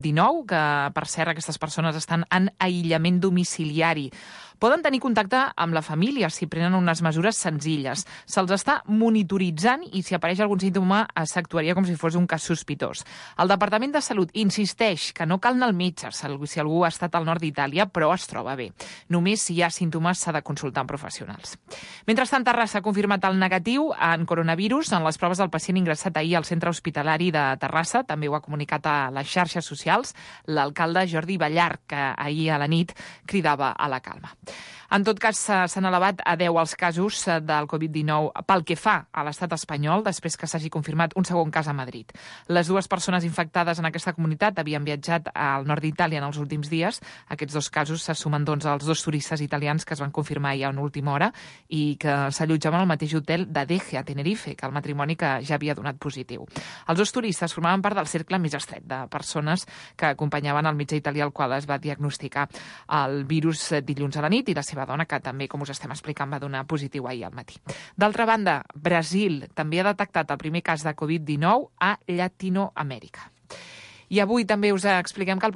19, que per cert aquestes persones estan en aïllament domiciliari. Poden tenir contacte amb la família si prenen unes mesures senzilles. Se'ls està monitoritzant i si apareix algun símptoma s'actuaria com si fos un cas sospitós. El Departament de Salut insisteix que no cal anar al metge si algú ha estat al nord d'Itàlia però es troba bé. Només si hi ha símptomes s'ha de consultar amb professionals. Mentrestant, Terrassa ha confirmat el negatiu en coronavirus en les proves del pacient ingressat ahir al centre hospitalari de Terrassa. També ho ha comunicat a les xarxes socials l'alcalde Jordi Ballart, que ahir a la nit cridava a la calma. En tot cas, s'han elevat a 10 els casos del Covid-19 pel que fa a l'estat espanyol, després que s'hagi confirmat un segon cas a Madrid. Les dues persones infectades en aquesta comunitat havien viatjat al nord d'Itàlia en els últims dies. Aquests dos casos se sumen doncs, als 2 turistes italians que es van confirmar ja en última hora i que s'allotjaven al mateix hotel d'Adeje, a Tenerife, que el matrimoni que ja havia donat positiu. Els 2 turistes formaven part del cercle més estret de persones que acompanyaven el metge italià al qual es va diagnosticar el virus dilluns a la nit i la seva dona, que també, com us estem explicant, va donar positiu ahir al matí. D'altra banda, Brasil també ha detectat el primer cas de Covid-19 a Llatinoamèrica. I avui també us expliquem que el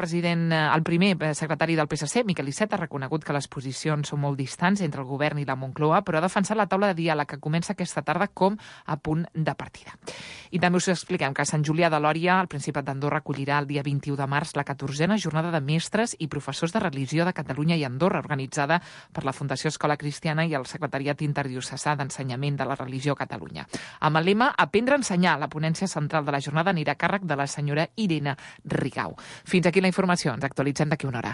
primer secretari del PSC, Miquel Iceta, ha reconegut que les posicions són molt distants entre el govern i la Moncloa, però ha defensat la taula de diàleg que comença aquesta tarda com a punt de partida. I també us expliquem que a Sant Julià de Lòria, el Principat d'Andorra, acollirà el dia 21 de març la 14a jornada de mestres i professors de religió de Catalunya i Andorra, organitzada per la Fundació Escola Cristiana i el Secretariat Interdiocesà d'Ensenyament de la Religió a Catalunya. Amb el lema Aprendre a ensenyar, la ponència central de la jornada anirà a càrrec de la senyora Irene Rigau. Fins aquí la informació. Ens actualitzem d'aquí una hora.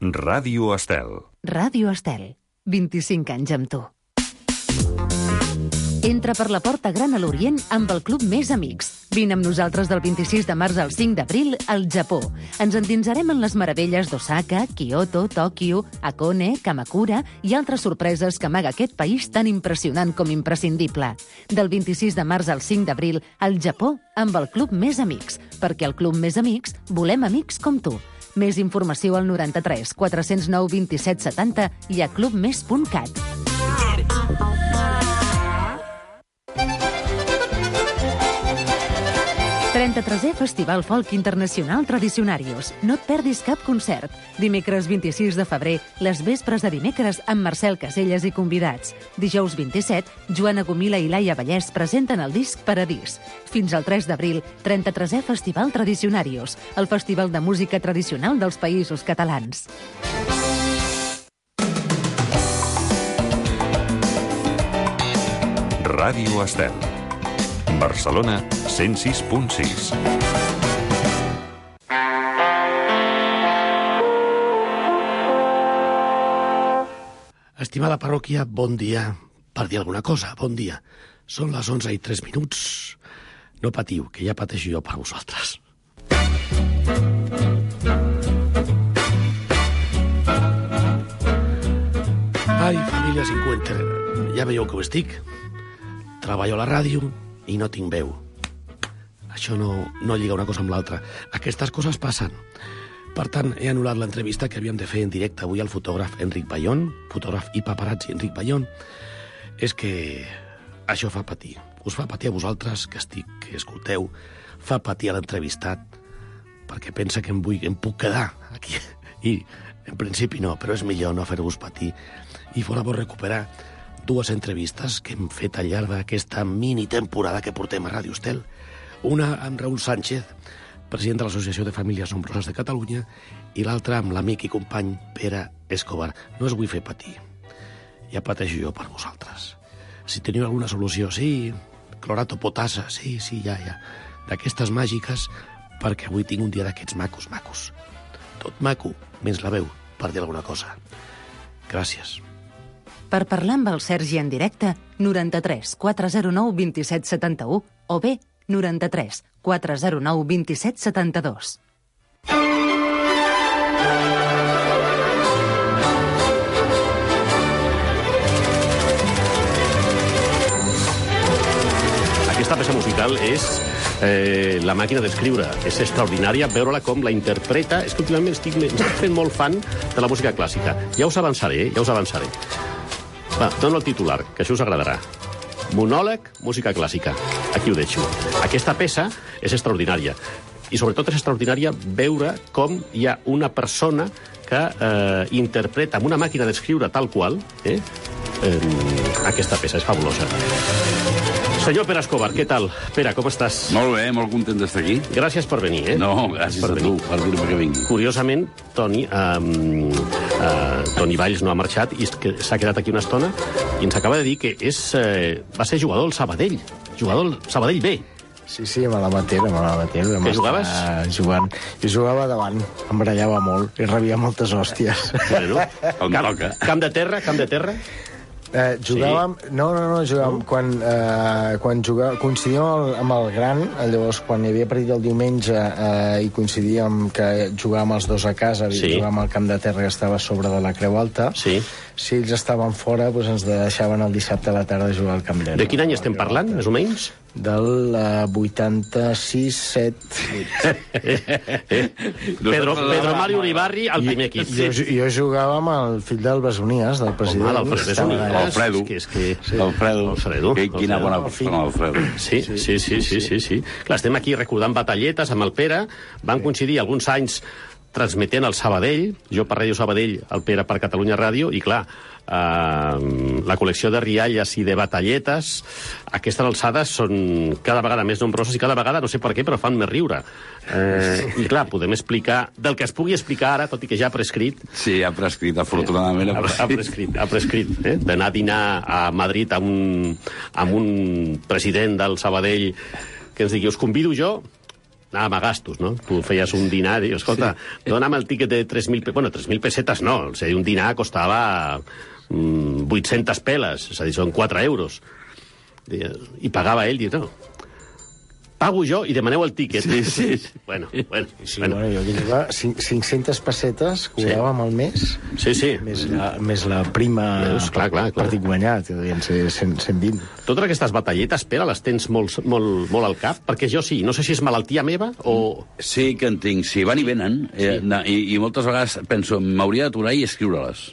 Ràdio Estel. Ràdio Estel. 25 anys amb tu. Entra per la porta gran a l'Orient amb el Club Més Amics. Vine amb nosaltres del 26 de març al 5 d'abril al Japó. Ens endinsarem en les meravelles d'Osaka, Kyoto, Tòquio, Hakone, Kamakura i altres sorpreses que amaga aquest país tan impressionant com imprescindible. Del 26 de març al 5 d'abril al Japó amb el Club Més Amics, perquè al Club Més Amics volem amics com tu. Més informació al 93 409 27 70 i a clubmes.cat. 33è Festival Folk Internacional Tradicionarios. No et perdis cap concert. Dimecres 26 de febrer, les vespres de dimecres amb Marcel Caselles i convidats. Dijous 27, Joana Gomila i Laia Vallès presenten el disc Paradís. Fins al 3 d'abril, 33è Festival Tradicionarios, el festival de música tradicional dels Països Catalans. Ràdio Estel. Barcelona 106.6. Estimada parròquia, bon dia. Per dir alguna cosa, bon dia. Són les 11:03. No patiu, que ja pateixo jo per vosaltres. Ai, família 50, ja veieu que ho estic. Treballo a la ràdio i no tinc veu. Això no lliga una cosa amb l'altra. Aquestes coses passen. Per tant, he anul·lat l'entrevista que havíem de fer en directe avui al fotògraf Enric Bayón, fotògraf i paparazzi Enric Bayón. És que això fa patir. Us fa patir a vosaltres, que escolteu, fa patir a l'entrevistat, perquè pensa que em puc quedar aquí. I, en principi, no, però és millor no fer-vos patir. I fora bo recuperar 2 entrevistes que hem fet al llarg d'aquesta mini-temporada que portem a Ràdio Estel. Una amb Raül Sánchez, president de l'Associació de Famílies Nombroses de Catalunya, i l'altra amb l'amic i company Pere Escobar. No us vull fer patir. Ja pateixo jo per vosaltres. Si teniu alguna solució, sí, clorato potassa, sí, ja. D'aquestes màgiques, perquè avui tinc un dia d'aquests macos. Tot maco, menys la veu, per dir alguna cosa. Gràcies. Per parlar amb el Sergi en directe, 93 409 27 71 o bé 93 409 27 72. Aquesta peça musical és la màquina d'escriure. És extraordinària veure-la com la interpreta. És que últimament estic fent molt fan de la música clàssica. Ja us avançaré. Va, dono el titular, que això us agradarà. Monòleg, música clàssica. Aquí ho deixo. Aquesta peça és extraordinària. I sobretot és extraordinària veure com hi ha una persona que interpreta amb una màquina d'escriure tal qual aquesta peça. És fabulosa. Senyor Pere Escobar, què tal? Pere, com estàs? Molt bé, molt content d'estar aquí. Gràcies per venir, No, gràcies a tu, per dir-me que vingui. Curiosament, Toni Valls no ha marxat i s'ha quedat aquí una estona i ens acaba de dir que va ser jugador al Sabadell. Jugador al Sabadell B. Sí, me la matera. Què jugaves? Jugant. Jo jugava davant, em barallava molt i rebia moltes hòsties. Bueno, On toca. Camp de terra? Jugàvem... Sí. No, jugàvem... Quan jugàvem... Coincidíem amb el gran, llavors, quan hi havia partit el diumenge i coincidíem que jugàvem els dos a casa, jugàvem al camp de terra que estava a sobre de la Creu Alta. Sí. Si ells estaven fora, doncs ens deixaven el dissabte a la tarda jugar al camp de terra. De quin any estem parlant, més o menys? Del 86, 7... Pedro Mario Uribarri, al primer equip. Jo jugava amb el fill del Besonies, del president. Alfredo. Alfredo. Quina bona persona, Alfredo. Sí. Clar, estem aquí recordant batalletes amb el Pere. Van coincidir alguns anys transmetent el Sabadell, jo per Ràdio Sabadell, el Pere per Catalunya Ràdio, i clar, la col·lecció de rialles i de batalletes a aquestes alçades són cada vegada més nombroses i cada vegada, no sé per què, però fan més riure. I clar, podem explicar del que es pugui explicar ara, tot i que ja ha prescrit. Sí, ha prescrit, afortunadament ha prescrit. D'anar a dinar a Madrid amb un president del Sabadell que ens digui, us convido jo, anàvem a gastos, no? Tu feies un dinar i dius, escolta, dona'm el tíquet de 3.000... Bueno, 3.000 pessetes no. O sigui, un dinar costava 800 peles, és a dir, són 4 euros. I pagava ell, diu, no, pago jo i demaneu el tíquet. Sí. Bueno. Jo que jugava 500 pessetes, cobràvem al mes. Sí. Més la prima clar. partit guanyat, devien ser 120. Totes aquestes batalletes, Pere, les tens molt al cap? Perquè jo sí, no sé si és malaltia meva o... Sí que en tinc, sí, van i venen. I moltes vegades penso, m'hauria d'aturar i escriure-les.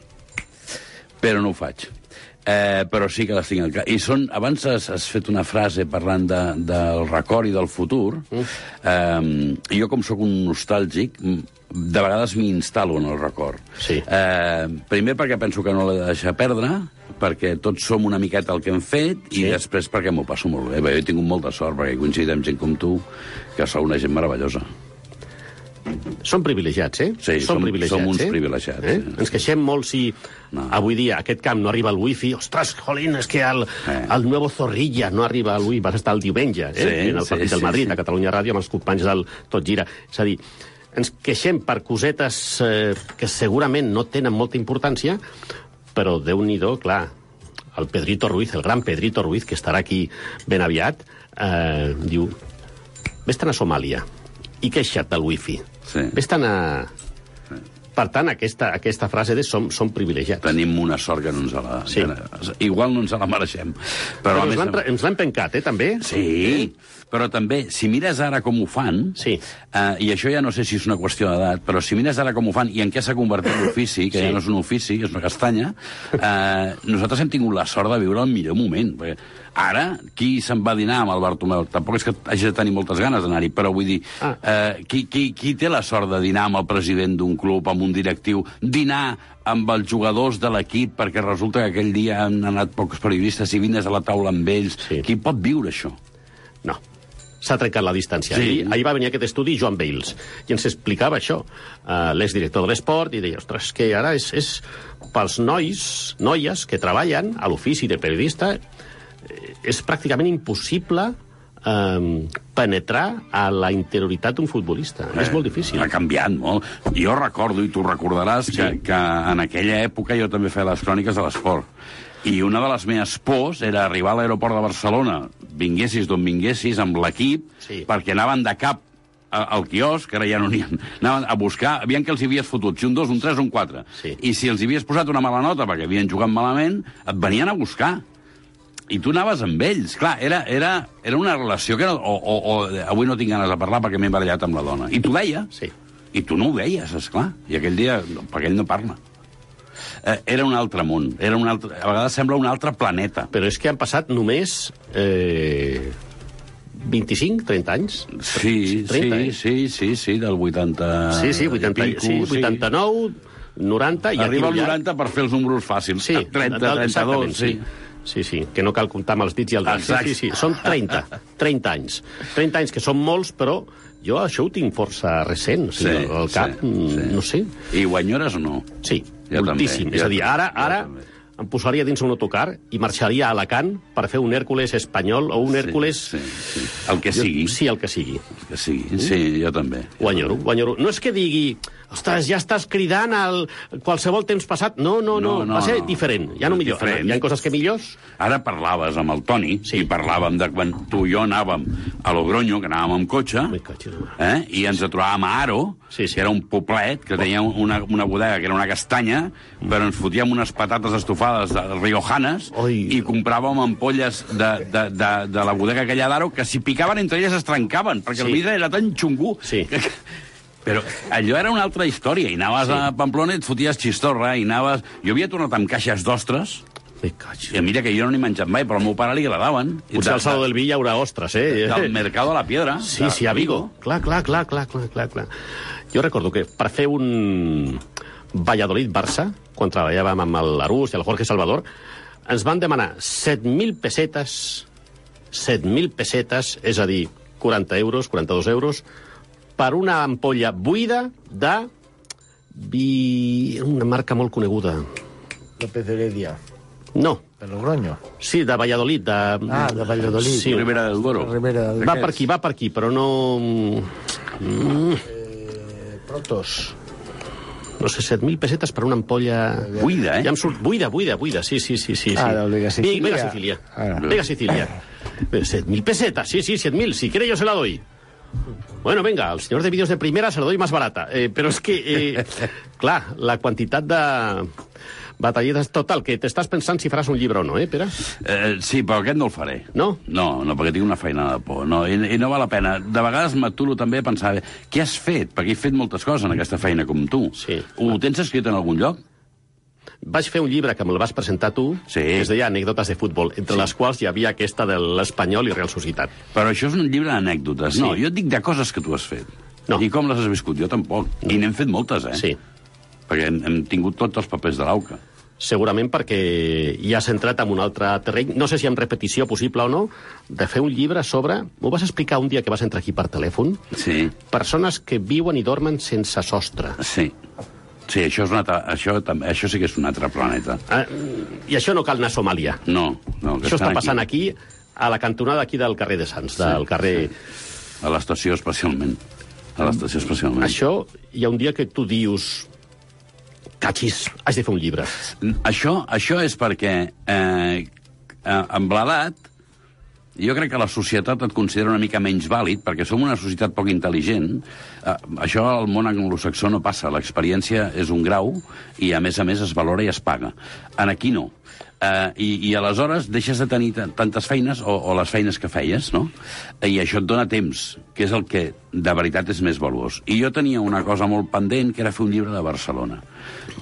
Però no ho faig. Però sí que les tinc al cap. I abans has fet una frase parlant del record i del futur. Jo, com sóc un nostàlgic, de vegades m'hi instal·lo en el record. Sí. Primer perquè penso que no l'he de deixar perdre, perquè tots som una miqueta el que hem fet, i després perquè m'ho passo molt bé. Jo he tingut molta sort, perquè he coincidit amb gent com tu, que sou una gent meravellosa. Som privilegiats, Sí, som uns privilegiats. Ens queixem molt si avui dia a aquest camp no arriba el wifi. Ostres, jolín, és que el nuevo Zorrilla no arriba al wifi. Vas estar el diumenge, en el partit del Madrid, a Catalunya Ràdio, amb els companys del Tot Gira. És a dir, ens queixem per cosetes que segurament no tenen molta importància, però Déu-n'hi-do, clar, el Pedrito Ruiz, el gran Pedrito Ruiz, que estarà aquí ben aviat, diu, vés-te'n a Somàlia i queixa't del wifi. Vés-te'n a... Per tant, aquesta frase de som privilegiats. Tenim una sort que no ens la... Sí. Igual no ens la mereixem. Però ens l'hem pencat, també? Sí, però també, si mires ara com ho fan, i això ja no sé si és una qüestió d'edat, però si mires ara com ho fan i en què s'ha convertit l'ofici, que ja no és un ofici, és una castanya, nosaltres hem tingut la sort de viure el millor moment. Ara, qui se'n va dinar amb el Bartomeu? Tampoc és que hagi de tenir moltes ganes d'anar-hi, però vull dir, qui té la sort de dinar amb el president d'un club, amb un directiu, dinar amb els jugadors de l'equip, perquè resulta que aquell dia han anat pocs periodistes i vines a la taula amb ells. Qui pot viure això? No. S'ha trencat la distància. Ahir va venir aquest estudi Joan Bales i ens explicava això, l'exdirector de l'esport, i deia, ostres, que ara és pels noies que treballen a l'ofici de periodista, és pràcticament impossible penetrar a la interioritat d'un futbolista. És molt difícil. Ha canviat molt. Jo recordo, i tu recordaràs, que en aquella època jo també feia les cròniques de l'esport. I una de les meves pors era arribar a l'aeroport de Barcelona, vinguessis d'on vinguessis, amb l'equip, perquè anaven de cap al quiosc, que ara ja no n'hi ha, anaven a buscar, aviam que els havies fotut, si un 2, un 3, un 4. I si els havies posat una mala nota perquè havien jugat malament, et venien a buscar. I tu anaves amb ells. Clar, era una relació que avui no tinc ganes de parlar perquè m'he barallat amb la dona. I t'ho deia. I tu no ho deies, esclar. I aquell dia, perquè ell no parla. Era un altre món. A vegades sembla un altre planeta. Però és que han passat només 25, 30 anys? Sí, del 80... Sí, 89, 90... I arriba al 90 per fer els números fàcils. Sí, 30, 32, sí. Sí, que no cal comptar amb els dits i el dit. Sí, són 30 anys. 30 anys, que són molts, però jo això ho tinc força recent. O sigui, al cap, no sé. I ho enyores o no? Sí, moltíssim. És a dir, ara em posaria dins un autocar i marxaria a Alacant per fer un Hèrcules espanyol o un Hèrcules... Sí. El que sigui. Sí, el que sigui. El que sigui, sí, jo també. Ho enyoro. No és que digui... Ostres, ja estàs cridant al qualsevol temps passat. No. Va ser diferent. Ja no millor. Hi ha coses que millors. Ara parlaves amb el Toni, i parlàvem de quan tu i jo anàvem a Logroño, que anàvem amb cotxe, i ens trobàvem a Aro, que era un poblet, que tenia una bodega que era una castanya, però ens fotíem unes patates estofades riojanes i compràvem ampolles de la bodega aquella d'Aro, que si picaven entre elles es trencaven, perquè el vidre era tan xungú. Però allò era una altra història, i anaves a Pamplona i et foties xistorra, i anaves... Jo havia tornat amb caixes d'ostres, i mira que jo no n'he menjat mai, però al meu pare li agradaven. Potser al Saló del Vi hi haurà ostres, Del Mercado de la Piedra. Sí, a Vigo. Clar. Jo recordo que per fer un Valladolid-Barça, quan treballàvem amb l'Arús i el Jorge Salvador, ens van demanar 7.000 pessetes, és a dir, 40 euros, 42 euros, per una ampolla buida de vi... una marca molt coneguda. López Heredia. No. De Logroño. Sí, de Valladolid. De Valladolid. Sí. Ribera del Duero. Va per aquí, però no... Protos. No sé, 7.000 pessetes per una ampolla... Buida, Ja em surt... Buida, sí. Del Vega Sicilia. Vega Sicilia. 7.000 pesetas, sí, 7.000. Si quiere yo se la doy. Bueno, venga, al señor de vídeos de primera se la doy más barata. Pero es que, clar, la quantitat de batalletes total, que t'estàs pensant si faràs un llibre o no, Pere? Sí, però aquest no el faré. No? No, perquè tinc una feina de por. No, i no val la pena. De vegades m'aturo també a pensar, què has fet? Perquè he fet moltes coses en aquesta feina com tu. Sí. Ho tens escrit en algun lloc? Vaig fer un llibre que me'l vas presentar tu, que es deia Anècdotes de futbol, entre les quals hi havia aquesta de l'Espanyol i Real Societat. Però això és un llibre d'anècdotes. No, jo et dic de coses que tu has fet. No. I com les has viscut? Jo tampoc. No. I n'hem fet moltes, Sí. Perquè hem tingut tots els papers de l'AUCA. Segurament perquè hi has entrat en un altre terreny, no sé si amb repetició possible o no, de fer un llibre sobre... M'ho vas explicar un dia que vas entrar aquí per telèfon? Sí. Persones que viuen i dormen sense sostre. Sí. Sí, això sí que és un altre planeta. I això no cal anar a Somàlia. No. Això està passant aquí, a la cantonada aquí del carrer de Sants, del carrer... A l'estació especialment. Això, hi ha un dia que tu dius... Cachis, haig de fer un llibre. Això és perquè amb l'edat jo crec que la societat et considera una mica menys vàlid, perquè som una societat poc intel·ligent. Això al món anglosaxó no passa. L'experiència és un grau i, a més, es valora i es paga. Aquí no. I aleshores deixes de tenir tantes feines o les feines que feies, no? I això et dona temps, que és el que de veritat és més valuós. I jo tenia una cosa molt pendent, que era fer un llibre de Barcelona.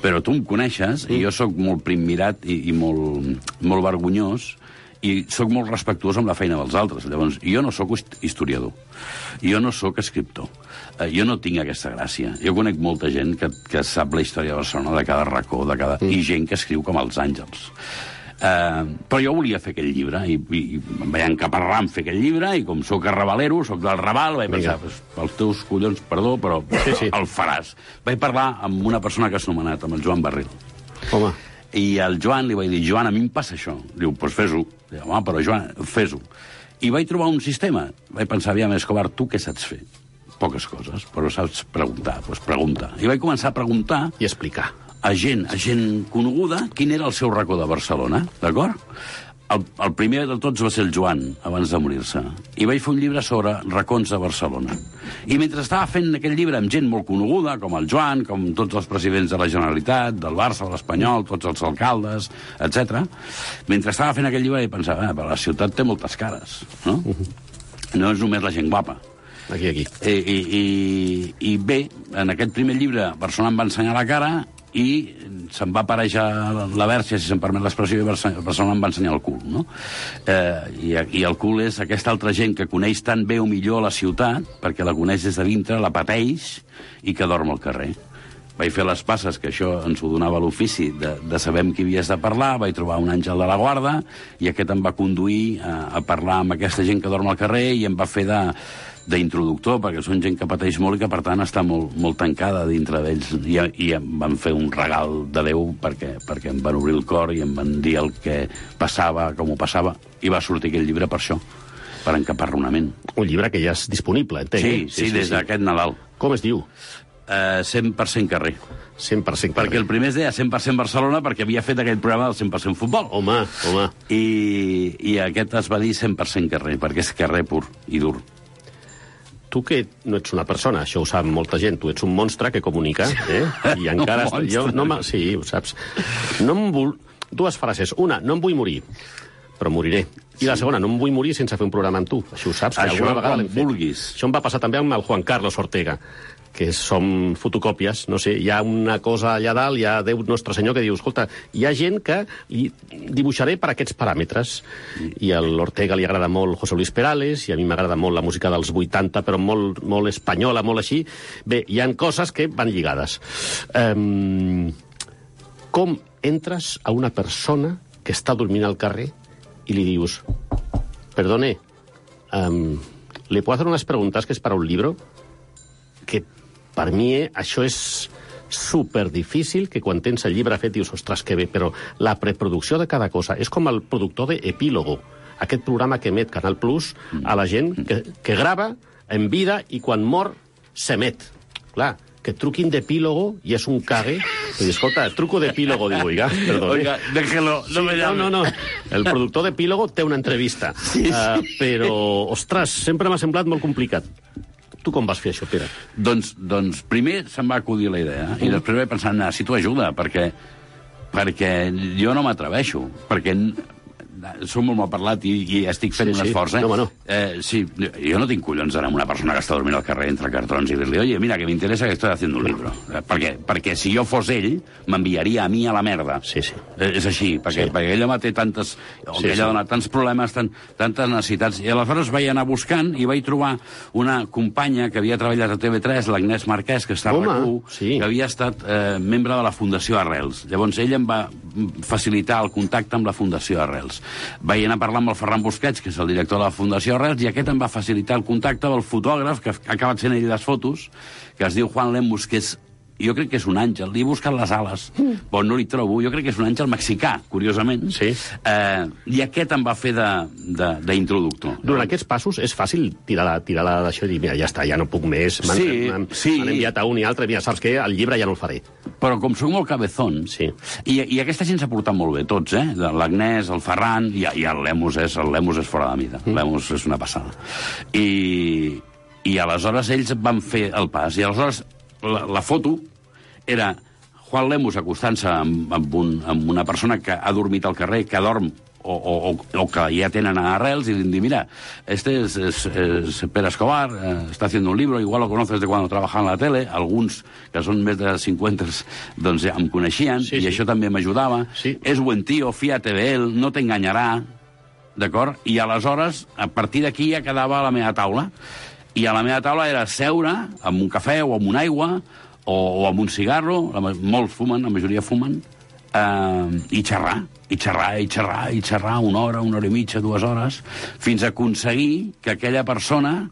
Però tu em coneixes, i jo sóc molt primmirat i molt vergonyós, i sóc molt respectuós amb la feina dels altres. Llavors, jo no sóc historiador, jo no sóc escriptor, jo no tinc aquesta gràcia. Jo conec molta gent que sap la història de Barcelona, de cada racó, i gent que escriu com els àngels. Però jo volia fer aquell llibre, i em vaig encaparrar en fer aquell llibre, i com sóc arrabalero, sóc del Raval, vaig pensar, pels teus collons, perdó, però el faràs. Vaig parlar amb una persona que has nomenat, amb el Joan Barril. Home. I al Joan li vaig dir, Joan, a mi em passa això. Diu, doncs fes-ho. Diu, home, però Joan, fes-ho. I vaig trobar un sistema. Vaig pensar, aviam, Escobar, tu què saps fer? Poques coses, però saps preguntar. Doncs pregunta. I vaig començar a preguntar... I explicar. A gent coneguda quin era el seu racó de Barcelona, d'acord? El primer de tots va ser el Joan, abans de morir-se. I vaig fer un llibre sobre racons de Barcelona. I mentre estava fent aquell llibre amb gent molt coneguda, com el Joan, com tots els presidents de la Generalitat, del Barça, de l'Espanyol, tots els alcaldes, etc. Mentre estava fent aquell llibre vaig pensar, però la ciutat té moltes cares, no? No és només la gent guapa. Aquí. I bé, en aquest primer llibre Barcelona em va ensenyar la cara i se'm va aparèixer la verge, si se'm permet l'expressió, i Barcelona em va ensenyar el cul, no? I el cul és aquesta altra gent que coneix tan bé o millor la ciutat, perquè la coneix des de dintre, la pateix, i que dorm al carrer. Vaig fer les passes, que això ens ho donava l'ofici, de saber amb qui havies de parlar, vaig trobar un àngel de la guarda, i aquest em va conduir a parlar amb aquesta gent que dorm al carrer, i em va fer d'introductor, perquè són gent que pateix molt i que, per tant, està molt tancada dintre d'ells. I em van fer un regal de Déu perquè em van obrir el cor i em van dir el que passava, com ho passava, i va sortir aquell llibre per això, per encapar-lo una ment. Un llibre que ja és disponible, entenc. Sí, des d'aquest Nadal. Com es diu? 100% carrer. 100% carrer. Perquè el primer es deia 100% Barcelona, perquè havia fet aquell programa del 100% futbol. Home. I aquest es va dir 100% carrer, perquè és carrer pur i dur. Tu que no ets una persona, això ho sap molta gent, tu ets un monstre que comunica, I encara... Sí, ho saps. Dues frases. Una, no em vull morir, però moriré. I la segona, no em vull morir sense fer un programa amb tu. Això ho saps, que alguna vegada l'hem fet. Vulguis. Això em va passar també amb el Juan Carlos Ortega, que som fotocòpies, no sé, hi ha una cosa allà dalt, hi ha Déu Nostre Senyor que diu, escolta, hi ha gent que li dibuixaré per aquests paràmetres. I a l'Ortega li agrada molt José Luis Perales, i a mi m'agrada molt la música dels 80, però molt espanyola, molt així. Bé, hi han coses que van lligades. Com entres a una persona que està dormint al carrer i li dius, perdone, ¿le puedo hacer unas preguntas que es para un libro? Que per mi això és superdifícil, que quan tens el llibre fet dius, ostres, que bé, però la preproducció de cada cosa és com el productor d'Epílogo, aquest programa que emet Canal Plus a la gent que grava en vida i quan mor s'emet. Clar, que truquin d'Epílogo i és un cague. I escolta, truco d'Epílogo, digo, oiga, perdón. Oiga, déjelo, no me llame. No. El productor d'Epílogo té una entrevista. Sí. Però, ostres, sempre m'ha semblat molt complicat. Tu com vas fer això, Pere? Doncs primer se'm va acudir la idea, i després vaig pensar, necessito ajuda, perquè jo no m'atreveixo, perquè som molt mal parlat i estic fent un esforç, No. Sí, jo no tinc collons d'anar amb una persona que està dormint al carrer entre cartrons i dir-li, oye, mira, que m'interessa que estoy haciendo un libro. Perquè si jo fos ell, m'enviaria a mi a la merda. Sí. És així, perquè ell home té tantes... ella dona tants problemes, tantes necessitats. I aleshores vaig anar buscant i vaig trobar una companya que havia treballat a TV3, l'Agnès Marquès, que està a RAC1, que havia estat membre de la Fundació Arrels. Llavors ell em va facilitar el contacte amb la Fundació Arrels. Vaig anar a parlar amb el Ferran Busquets, que és el director de la Fundació Arrels, i aquest em va facilitar el contacte amb el fotògraf, que ha acabat fent ell les fotos, que es diu Juan Lemus, que és... Jo crec que és un àngel. Li he buscat les ales, però no li trobo. Jo crec que és un àngel mexicà, curiosament. Sí. I aquest em va fer d'introductor. Durant aquests passos és fàcil tirar d'això i dir, mira, ja està, ja no puc més. M'han enviat a un i altre, mira, saps què? El llibre ja no el faré. Però com soc molt cabezón, i aquesta gent s'ha portat molt bé, tots, l'Agnès, el Ferran, i el Lemus és fora de mida. Lemus és una passada. I aleshores ells van fer el pas, i aleshores la foto era Juan Lemus acostant-se amb una persona que ha dormit al carrer, que dorm o que ja tenen a Arrels, i li diuen, mira, este es Pere Escobar, está haciendo un libro, igual lo conoces de cuando trabajaba en la tele, alguns que són més de 50 doncs ja em coneixien, i això també m'ajudava. És buen tío, fíjate de él, no t'enganyarà, d'acord? I aleshores, a partir d'aquí ja quedava a la meva taula. I a la meva taula era seure amb un cafè o amb una aigua o amb un cigarro, molts fumen, la majoria fumen, i xerrar una hora i mitja, 2 hores, fins a aconseguir que aquella persona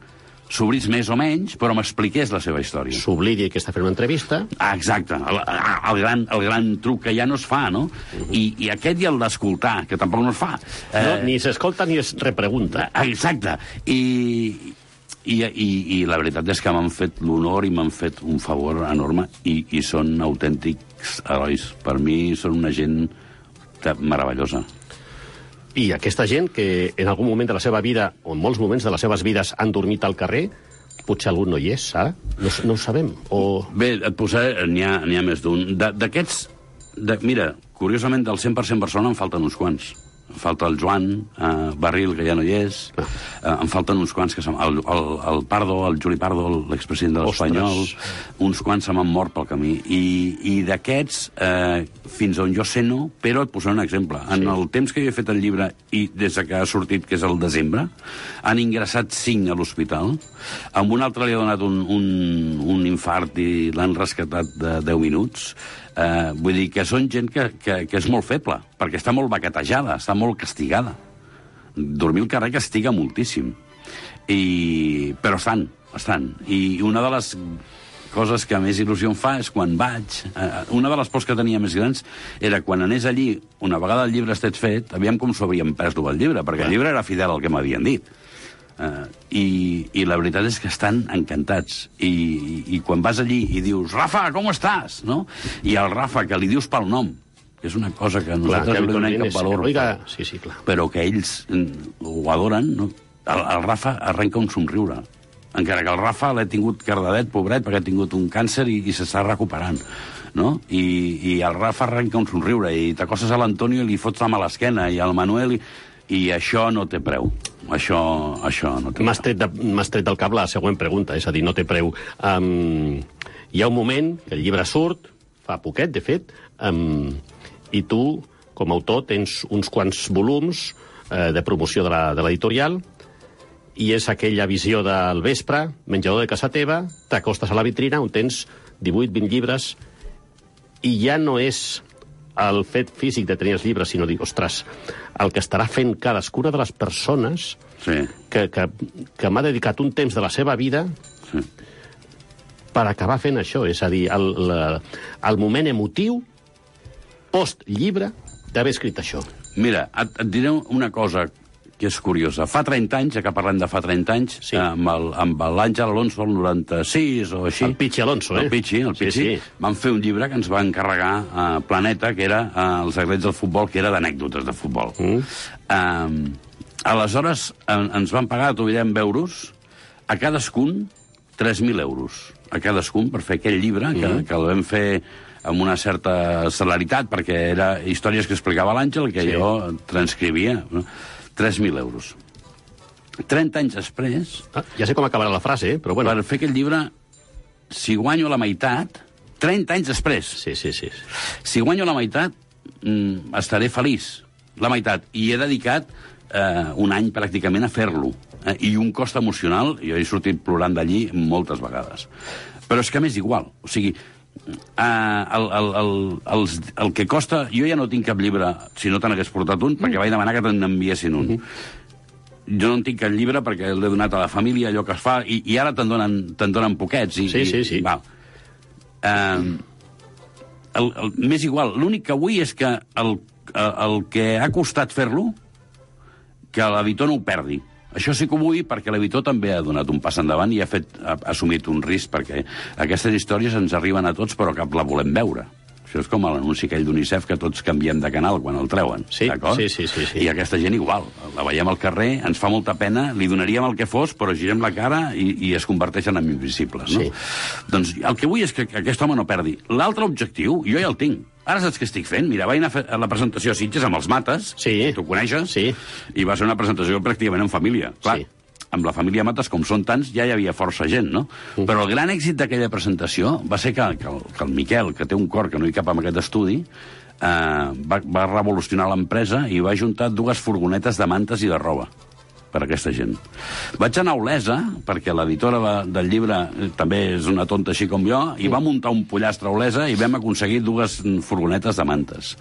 s'obrís més o menys, però m'expliqués la seva història. S'oblidi que està fent una entrevista. Exacte, el gran truc que ja no es fa, no? I aquest i el d'escoltar, que tampoc no es fa. Ni s'escolta ni es repregunta. Exacte, i la veritat és que m'han fet l'honor i m'han fet un favor enorme i són autèntics herois. Per mi són una gent meravellosa. I aquesta gent que en algun moment de la seva vida, o en molts moments de les seves vides, han dormit al carrer, potser algun no hi és, ara? No ho sabem. Bé, et posaré... N'hi ha més d'un. D'aquests... Mira, curiosament, del 100% Barcelona en falten uns quants. falta el Joan Barril, que ja no hi és, em falten uns quants que el Pardo, el Juli Pardo, l'expresident de l'Espanyol, uns quants se m'han mort pel camí. I d'aquests, fins on jo sé no, però et posaré un exemple. En el temps que jo he fet el llibre, i des que ha sortit, que és el desembre, han ingressat 5 a l'hospital, amb un altre li ha donat un infart i l'han rescatat de 10 minuts. Vull dir que són gent que és molt feble, perquè està molt baquetejada, està molt castigada. Dormir al carrer castiga moltíssim. Però estan. I una de les coses que més il·lusió em fa és quan vaig... Una de les pors que tenia més grans era quan anés allí, una vegada el llibre estés fet, aviam com s'ho havien pres el llibre, perquè el llibre era fidel al que m'havien dit. I la veritat és que estan encantats. I quan vas allí i dius Rafa, com estàs? No? I el Rafa, que li dius pel nom, que és una cosa que nosaltres no li donem cap valor, però que ells ho adoren, no? El Rafa arrenca un somriure. Encara que el Rafa l'ha tingut cardadet, pobret, perquè ha tingut un càncer i s'està recuperant. No? I el Rafa arrenca un somriure i t'acostes a l'Antonio i li fots la mà a l'esquena, i al Manuel... I això no té preu. Això no té preu. M'has tret del cap la següent pregunta, és a dir, no té preu. Hi ha un moment que el llibre surt, fa poquet, de fet, i tu, com a autor, tens uns quants volums de promoció de l'editorial, i és aquella visió del vespre, menjador de casa teva, t'acostes a la vitrina on tens 18-20 llibres, i ja no és el fet físic de tenir els llibres, sinó dir, ostres, el que estarà fent cadascuna de les persones que m'ha dedicat un temps de la seva vida per acabar fent això. És a dir, el moment emotiu post-llibre d'haver escrit això. Mira, et diré una cosa que és curiosa. Fa 30 anys, ja que parlem de fa 30 anys, amb l'Àngel Alonso, el 96 o així... El Pichi Alonso, El Pichi. Vam fer un llibre que ens va encarregar a Planeta, que era Els secrets del futbol, que era d'anècdotes de futbol. Aleshores, ens van pagar, t'ho direm, euros, a cadascun 3.000 euros. A cadascun, per fer aquell llibre, que el vam fer amb una certa celeritat, perquè era històries que explicava l'Àngel, que jo transcrivia... 3.000 euros. 30 anys després... Ja sé com acabarà la frase, però bueno... Per fer aquest llibre, si guanyo la meitat... 30 anys després. Sí. Si guanyo la meitat, estaré feliç. La meitat. I he dedicat un any pràcticament a fer-lo. I un cost emocional, jo he sortit plorant d'allí moltes vegades. Però és que m'és igual. O sigui, el que costa... Jo ja no tinc cap llibre, si no te n'hagués portat un, perquè vaig demanar que te n'enviessin un. Jo no en tinc cap llibre perquè l'he donat a la família, allò que es fa, i ara te'n donen poquets. Sí. Val. M'és igual. L'únic que vull és que el que ha costat fer-lo, que l'editor no ho perdi. Això sí que ho vull perquè l'editor també ha donat un pas endavant i ha assumit un risc, perquè aquestes històries ens arriben a tots però cap la volem veure. Això és com l'anunci aquell d'UNICEF que tots canviem de canal quan el treuen. D'acord? Sí. I aquesta gent igual. La veiem al carrer, ens fa molta pena, li donaríem el que fos, però girem la cara i es converteixen en invisibles. No? Doncs el que vull és que aquest home no perdi. L'altre objectiu, jo ja el tinc. Ara saps què estic fent? Mira, vaig anar a fer la presentació a Sitges amb els Mates, tu coneixes? Sí. I va ser una presentació pràcticament en família. Clar, amb la família Mates, com són tants, ja hi havia força gent, no? Però el gran èxit d'aquella presentació va ser que el Miquel, que té un cor que no hi cap en aquest estudi, va revolucionar l'empresa i va juntar 2 furgonetes de mantes i de roba per a aquesta gent. Vaig anar a Olesa, perquè l'editora del llibre també és una tonta així com jo, i va muntar un pollastre a Olesa i vam aconseguir 2 furgonetes de mantes.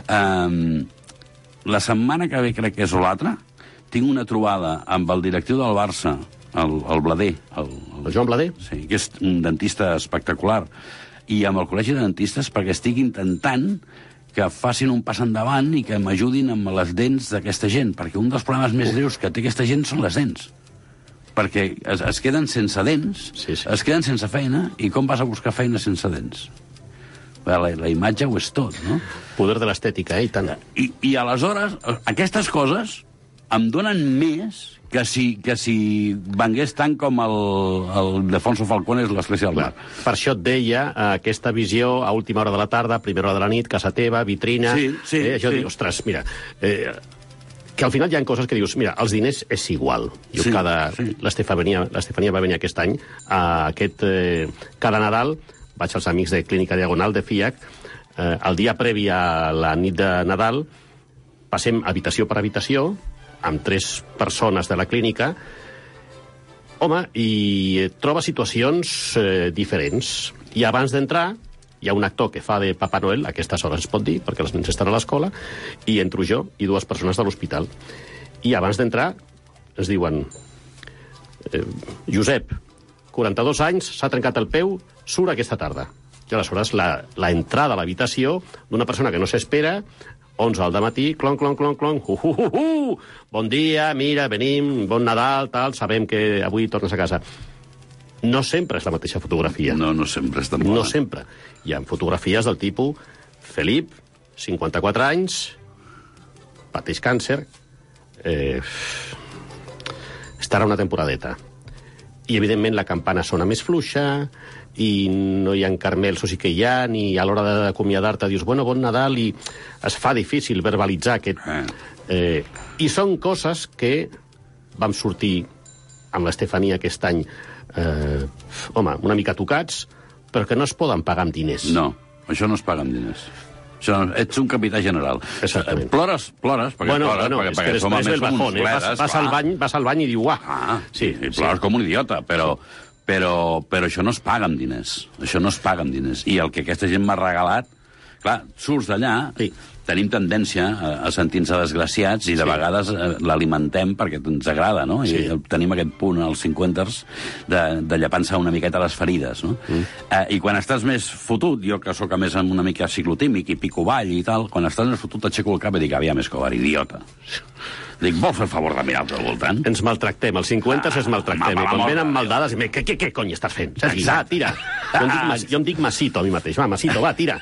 La setmana que ve, crec que és l'altra, tinc una trobada amb el directiu del Barça, el Blader. El Joan Blader? Sí, que és un dentista espectacular. I amb el Col·legi de Dentistes, perquè estic intentant que facin un pas endavant i que m'ajudin amb les dents d'aquesta gent, perquè un dels problemes més greus que té aquesta gent són les dents. Perquè es queden sense dents, es queden sense feina, i com vas a buscar feina sense dents? La imatge ho és tot, no? Poder de l'estètica, i tant. I aleshores, aquestes coses em donen més que si vengués tant com el Defonso Falcón és l'Església del Mar. Per això et deia aquesta visió a última hora de la tarda, a primera hora de la nit, casa teva, vitrina... Sí. Això dic, ostres, mira, que al final hi ha coses que dius, mira, els diners és igual. Jo l'Estefania va venir aquest any, cada Nadal vaig als amics de Clínica Diagonal de FIAC, el dia previ a la nit de Nadal passem habitació per habitació amb 3 persones de la clínica, home, i troba situacions diferents. I abans d'entrar hi ha un actor que fa de Papa Noel, a aquestes hores es pot dir, perquè els nens estan a l'escola, i entro jo i 2 persones de l'hospital. I abans d'entrar ens diuen Josep, 42 anys, s'ha trencat el peu, surt aquesta tarda. I aleshores la entrada a l'habitació d'una persona que no s'espera, 11 al dematí, clon, clon, clon, clon, bon dia, mira, venim, bon Nadal, tal, sabem que avui tornes a casa. No sempre és la mateixa fotografia. No sempre és tan bona. No sempre. Hi ha fotografies del tipus Felip, 54 anys, pateix càncer, estarà una temporadeta. I, evidentment, la campana sona més fluixa, i no hi ha carmels, o sí que hi ha, ni a l'hora d'acomiadar-te dius, bueno, bon Nadal, i es fa difícil verbalitzar aquest... I són coses que vam sortir amb l'Estefania aquest any, home, una mica tocats, però que no es poden pagar amb diners. No, això no es paga amb diners. Això, ets un capità general. Exactament. Plores, perquè és que després del bajón, vas al bany i diu, uah. Sí, i plores com un idiota, però això no es paga amb diners. Això no es paga amb diners. I el que aquesta gent m'ha regalat, clar, surts d'allà, tenim tendència a sentir-nos desgraciats i de vegades l'alimentem perquè ens agrada, no? I tenim aquest punt als 50s de llepar-se una miqueta les ferides, no? I quan estàs més fotut, jo que sóc a més una mica ciclotímic i pico ball i tal, quan estàs més fotut t'aixeco el cap i dic, aviam, Escobar, idiota. Dic, vols fer el favor de mirar al teu voltant? Ens maltractem, als 50 es maltractem. I quan venen amb dades, què cony estàs fent? Va, tira. Jo em dic Masito a mi mateix. Va, Masito, va, tira.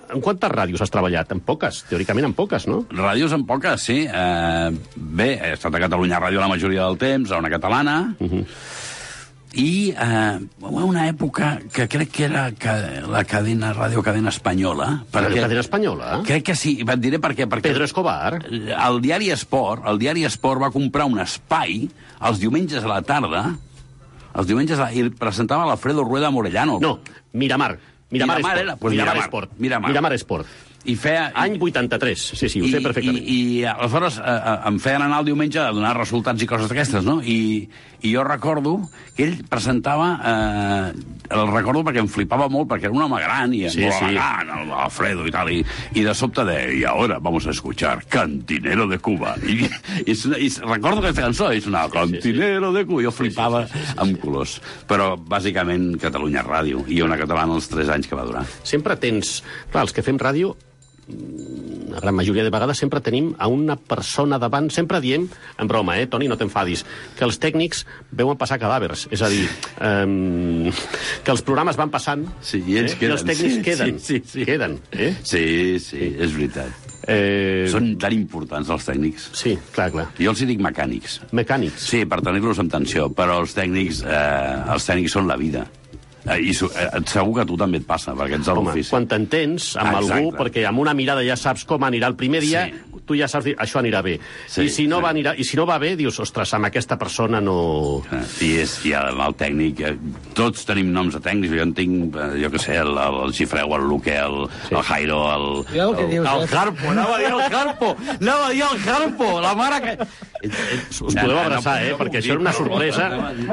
En quantes ràdios has treballat? En poques, teòricament en poques, no? Ràdios en poques, sí. Bé, he estat a Catalunya Ràdio la majoria del temps, a una catalana, i una època que crec que era la cadena, Ràdio Cadena Espanyola. Cadena Espanyola? Crec que sí, et diré per què. Pedro Escobar? El diari Esport va comprar un espai els diumenges a la tarda, i presentava l'Alfredo Rueda Morellano. No, Miramar Esport. I feia... Any 83, sí, ho sé perfectament. I aleshores em feien anar el diumenge a donar resultats i coses d'aquestes, no? I jo recordo que ell presentava... El recordo perquè em flipava molt, perquè era un home gran i molt elegant, Alfredo i tal, i de sobte deia, y ahora vamos a escuchar Cantinero de Cuba. I recordo aquesta cançó, és una Cantinero de Cuba. Jo flipava amb colors. Però, bàsicament, Catalunya Ràdio, i una catalana els 3 anys que va durar. Sempre tens... Clar, els que fem ràdio, la gran majoria de vegades sempre tenim a una persona davant, sempre diem, en broma, Toni, no t'enfadis, que els tècnics veuen passar cadàvers, és a dir, que els programes van passant i ells queden. I els tècnics queden. Sí, és veritat. Són tan importants els tècnics. Sí, clar. Jo els hi dic mecànics. Mecànics? Sí, per tenir-los en tensió, però els tècnics són la vida. I segur que a tu també et passa, perquè ets a l'ofici. Quan t'entens amb algú, perquè amb una mirada ja saps com anirà el primer dia, tu ja saps dir, això anirà bé. I si no va bé, dius, ostres, amb aquesta persona no... I el tècnic, tots tenim noms de tècnics, jo en tinc, jo què sé, el Xifreu, el Luque, el Jairo, el Harpo, anava a dir el Harpo, la mare que... Us podeu abraçar, perquè això era una sorpresa.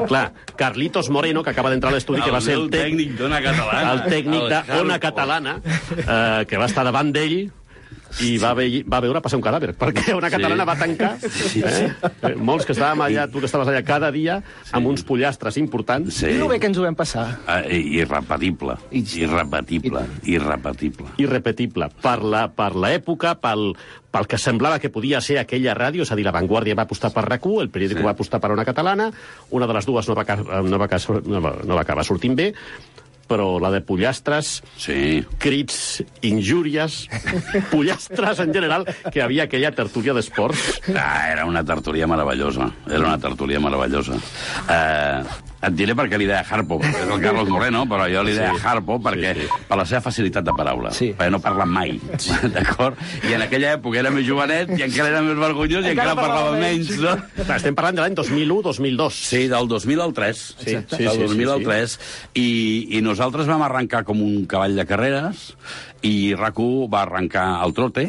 Clar, Carlitos Moreno, que acaba d'entrar a l'estudi, que va ser el tècnic d'Ona Catalana. El tècnic d'Ona Catalana, que va estar davant d'ell i va veure passar un cadàver, perquè Ona Catalana va tancar. Molts que estàvem allà, tu que estaves allà cada dia, amb uns pollastres importants. I el bé que ens ho vam passar. Irrepetible. Irrepetible. Per l'època, pel que semblava que podia ser aquella ràdio, és a dir, La Vanguardia va apostar per RAC1, el periòdico va apostar per Ona Catalana, una de les dues no va acabar sortint bé, però la de pollastres, crits, injúries, pollastres en general, que havia aquella tertúlia d'esports. Era una tertúlia meravellosa. Et diré per què li deia Harpo. És el Carlos Moreno, però jo li deia Harpo perquè per la seva facilitat de paraula. Perquè no parla mai, d'acord? I en aquella època era més jovenet i encara era més vergonyós i encara parlava menys, no? Estem parlant de l'any 2001-2002. Sí, del 2000 al 3. Del 2000 al 3. I nosaltres vam arrencar com un cavall de carreres i RAC1 va arrencar al trote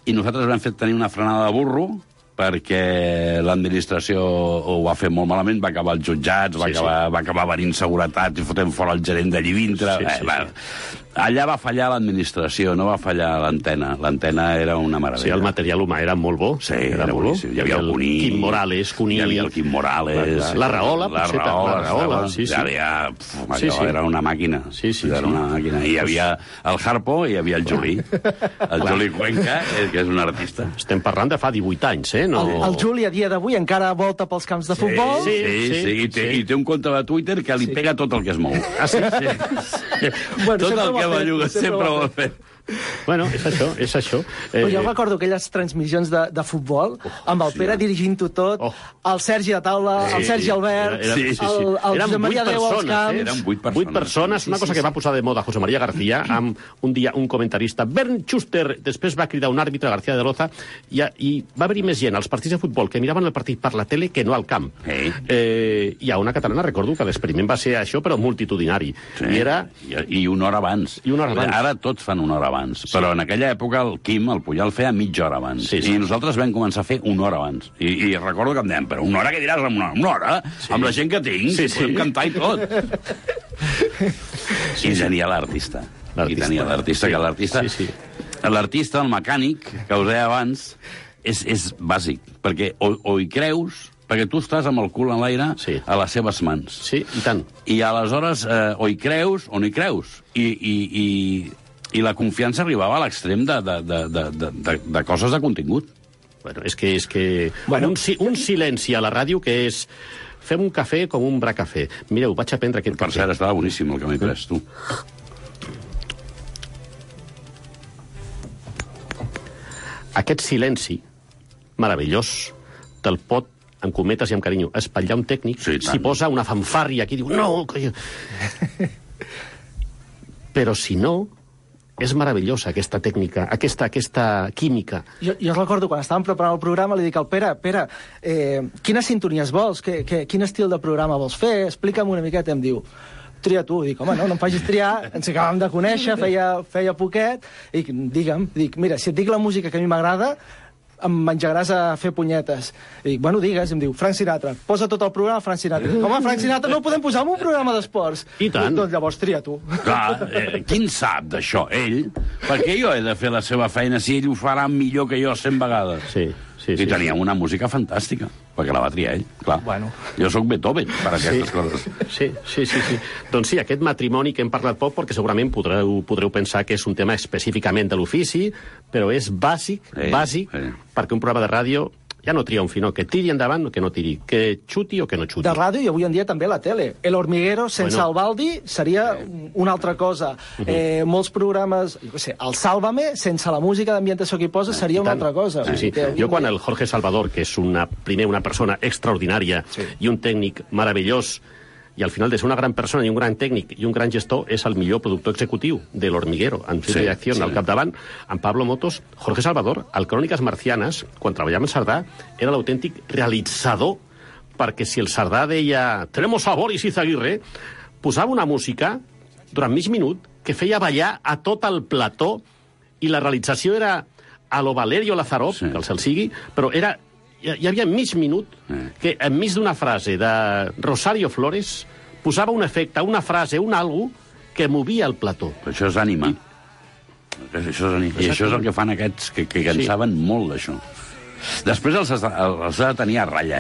i nosaltres vam fer tenir una frenada de burro perquè l'administració ho va fer molt malament, va acabar als jutjats, va acabar venint seguretat i fotent fora el gerent d'allí dintre. Allà va fallar l'administració, no va fallar l'antena. L'antena era una meravella. Sí, el material humà era molt bo. Sí, era boníssim. Hi havia el Cuní. Quim Morales, Cuní. Hi havia el Quim Morales. La Rahola, potser. La Rahola, sí. Era una màquina. Sí. Era una màquina. I hi havia el Harpo i hi havia el Juli. El Juli Cuenca, que és un artista. Estem parlant de fa 18 anys, No... El Juli, a dia d'avui, encara volta pels camps de futbol. Sí. I té un compte de Twitter que li pega tot el que es mou. Ah, sí? Bueno, tot el que belluga sempre ho ha fet. Bueno, és això. Però jo recordo aquelles transmissions de futbol, amb el Pere dirigint-ho tot, el Sergi a taula, el Sergi Albert, el Josep Maria Déu als camps... Eren 8 persones. Una cosa que va posar de moda José María García, amb un dia un comentarista, Bernd Schuster, després va cridar un àrbitre, García de Loza, i va haver-hi més gent als partits de futbol que miraven el partit per la tele que no al camp. Hi ha una catalana, recordo, que l'experiment va ser això, però multitudinari. I una hora abans. Ara tots fan una hora abans. Però en aquella època el Quim, el Puyol, feia mitja hora abans. I nosaltres vam començar a fer una hora abans. I recordo que em deien, però una hora què diràs amb una hora? Amb la gent que tinc, podem cantar i tot. I tenia l'artista. L'artista, el mecànic, que us deia abans, és bàsic, perquè o hi creus... Perquè tu estàs amb el cul en l'aire a les seves mans. Sí, i tant. I aleshores o hi creus o no hi creus. I la confiança arribava a l'extrem de coses de contingut. Bueno, és que un silenci a la ràdio que és... Fem un cafè com un bracafè. Mireu, vaig a prendre aquest cafè. Per cert, estava boníssim el que m'he pres, tu. Aquest silenci meravellós te'l pot, amb cometes i amb carinyo, espatllar un tècnic, si posa una fanfàrria aquí, diu, no... Però si no, és meravellosa aquesta tècnica, aquesta química. Jo recordo, quan estàvem preparant el programa, li dic al Pere, quines sintonies vols? Quin estil de programa vols fer? Explica'm una miqueta. Em diu, tria tu. Dic, home, no em facis triar, ens acabàvem de conèixer, feia poquet, i digue'm, mira, si et dic la música que a mi m'agrada, em menjaràs a fer punyetes. I dic, bueno, digues, em diu, Frank Sinatra. Posa tot el programa Frank Sinatra. Home, Frank Sinatra no el podem posar en un programa d'esports. I tant. Doncs llavors tria tu. Clar, quin sap d'això? Ell? Perquè jo he de fer la seva feina si ell ho farà millor que jo 100 vegades. Sí. I teníem una música fantàstica, perquè la va triar ell, clar. Bueno. Jo sóc Beethoven per aquestes coses. Sí. Doncs sí, aquest matrimoni que hem parlat poc, perquè segurament podreu pensar que és un tema específicament de l'ofici, però és bàsic, perquè un programa de ràdio ja no tria un finó, que tiri endavant o que no tiri, que xuti o que no xuti. De ràdio i avui en dia també la tele. El Hormiguero sense el Baldi seria una altra cosa. Molts programes, el Sálvame, sense la música d'ambientació que hi posa, seria una altra cosa. Sí. Jo quan el Jorge Salvador, que és primer una persona extraordinària i un tècnic meravellós, i al final de ser una gran persona i un gran tècnic i un gran gestor és el millor productor executiu de l'Hormiguero, en su direcció al capdavant, amb Pablo Motos. Jorge Salvador, al Cròniques Marcianes, quan treballava en Sardà, era l'autèntic realitzador, perquè si el Sardà deia «Tenemos a Boris Izaguirre», posava una música durant mig minut que feia ballar a tot el plató, i la realització era a lo Valerio Lazarov, que el cel sigui, però era... Hi havia mig minut que enmig d'una frase de Rosario Flores posava un efecte, una frase, un algo que movia el plató. Però això és ànima. I això és el que fan aquests que en saben molt d'això. Després els ha de tenir a ratlla,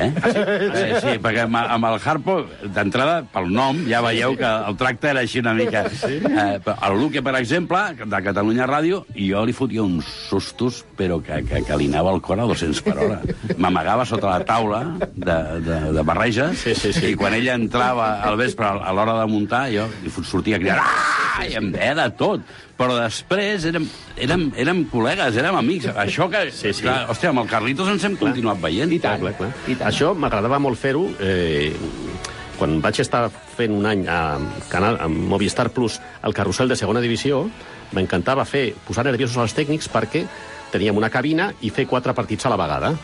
Sí, perquè amb el Harpo, d'entrada, pel nom, ja veieu que el tracte era així una mica. El Luque, per exemple, de Catalunya Ràdio, i jo li fotia uns sustos, però que li anava el cor a 200 per hora. M'amagava sota la taula de barreges, i quan ella entrava al vespre a l'hora de muntar, jo sortia a cridar, i em deia de tot. Però després érem col·legues, érem amics. Això que... Clar, hòstia, amb el Carlitos ens hem continuat veient. I tant. Això m'agradava molt fer-ho, quan vaig estar fent un any a Movistar Plus el carrusel de segona divisió, m'encantava posar nerviosos als tècnics perquè teníem una cabina i fer 4 partits a la vegada.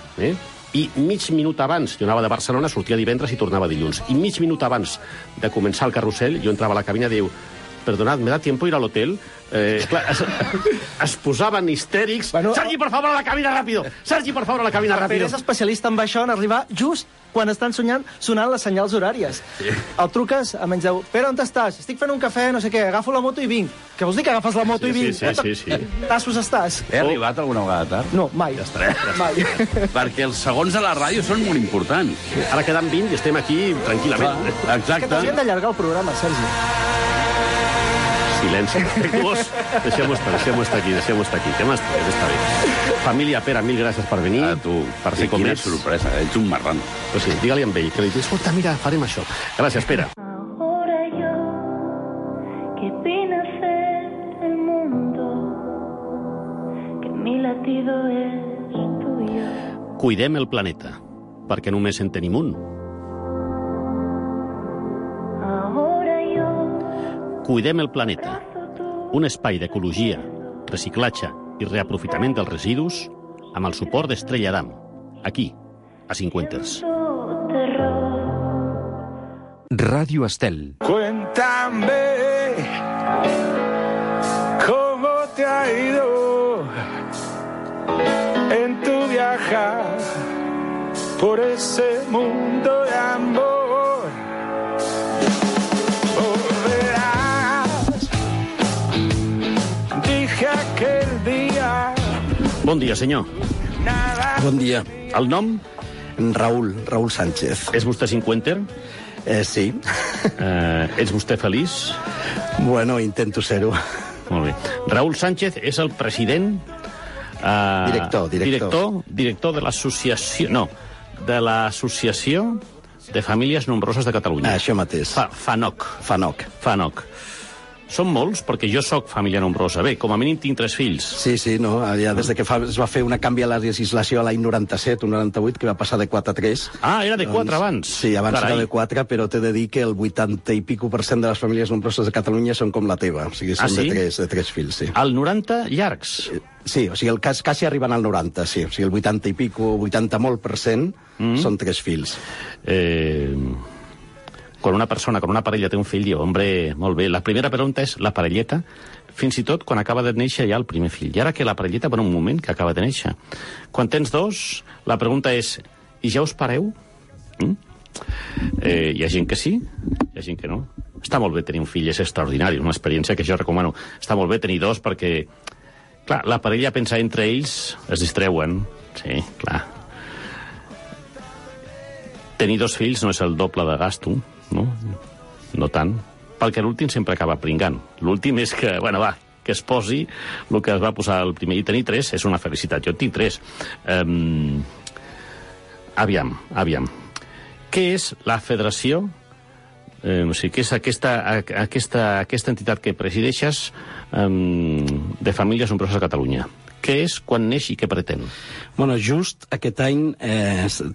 I mig minut abans, jo anava de Barcelona, sortia divendres i tornava dilluns, i mig minut abans de començar el carrusel, jo entrava a la cabina i diu, perdonad, ¿me da tiempo ir al hotel? Es posaven histèrics. Bueno, Sergi, por favor, a la cabina ràpido! Sergi, por favor, a la cabina ràpido! Pere és especialista en això, en arribar just quan estan sonant les senyals horàries. Sí. El truques, menys diu, Pere, on estàs? Estic fent un cafè, no sé què, agafo la moto i vinc. Què vols dir que agafes la moto i vinc? Sí. Tassos estàs? He arribat alguna vegada tard? No, mai. Ja estaré. Mai. Perquè els segons a la ràdio són molt importants. Ara queden 20 i estem aquí tranquil·lament. Exacte. Que t'haurien d'allargar el programa, Sergi. Silenci respectuós. Deixem-ho estar aquí. Que m'està bé. Família, Pere, mil gràcies per venir. A tu. Per ser com quina ets. sorpresa, ets un marrano. Pues sí, digue-li amb ell, que li dius, escolta, mira, farem això. Gràcies, Pere. Ahora yo, que vine a ser el mundo, que mi latido es tuyo. Cuidem el planeta, perquè només en tenim un. Ahora yo, Cuidem el planeta, un espai d'ecologia, reciclatge i reaprofitament dels residus amb el suport d'Estrella Damm, aquí, a Cincuenters. terror. Radio Estel. Cuéntame cómo te ha ido en tu viajar por ese mundo de amor. Volverás, dije aquel día. Bon dia, senyor. Bon dia. El nom? Raúl Sánchez. És vostè Cincuenter? Sí. Ets vostè feliç? Bueno, intento ser-ho. Molt bé. Raúl Sánchez és el president... Director de l'associació... No, de l'Associació de Famílies Nombroses de Catalunya. Això mateix. FANOC. Són molts, perquè jo sóc família nombrosa. Bé, com a mínim tinc 3 fills. Sí, no, ja des de que es va fer una canvi a la legislació a l'any 97 o 98, que va passar de 4 a 3. Ah, era de 4 abans. Sí, abans era de 4, però t'he de dir que el 80 i pico % de les famílies nombroses de Catalunya són com la teva. O sigui, són de 3 fills, sí. Al 90 llargs? Sí, o sigui, el cas quasi arriben al 90, sí. O sigui, el 80 i pico, 80 molt % són 3 fills. Quan una persona, quan una parella té un fill, diu, hombre, molt bé. La primera pregunta és la parelleta, fins i tot quan acaba de néixer ja el primer fill. I ara que la parelleta per un moment que acaba de néixer. Quan tens 2, la pregunta és, i ja us pareu? Hi ha gent que sí, hi ha gent que no. Està molt bé tenir un fill, és extraordinari, una experiència que jo recomano. Està molt bé tenir 2 perquè, clar, la parella pensa entre ells, es distreuen. Sí, clar. Tenir 2 fills no és el doble de gasto, no tant, perquè l'últim sempre acaba pringant. L'últim és que, que es posi el que es va posar el primer. I tenir 3 és una felicitat. Jo en tinc 3. Aviam. Què és la federació? O sigui, què és aquesta entitat que presideixes de famílies nombroses a Catalunya? Què és, quan neix i què pretén? Bueno, just aquest any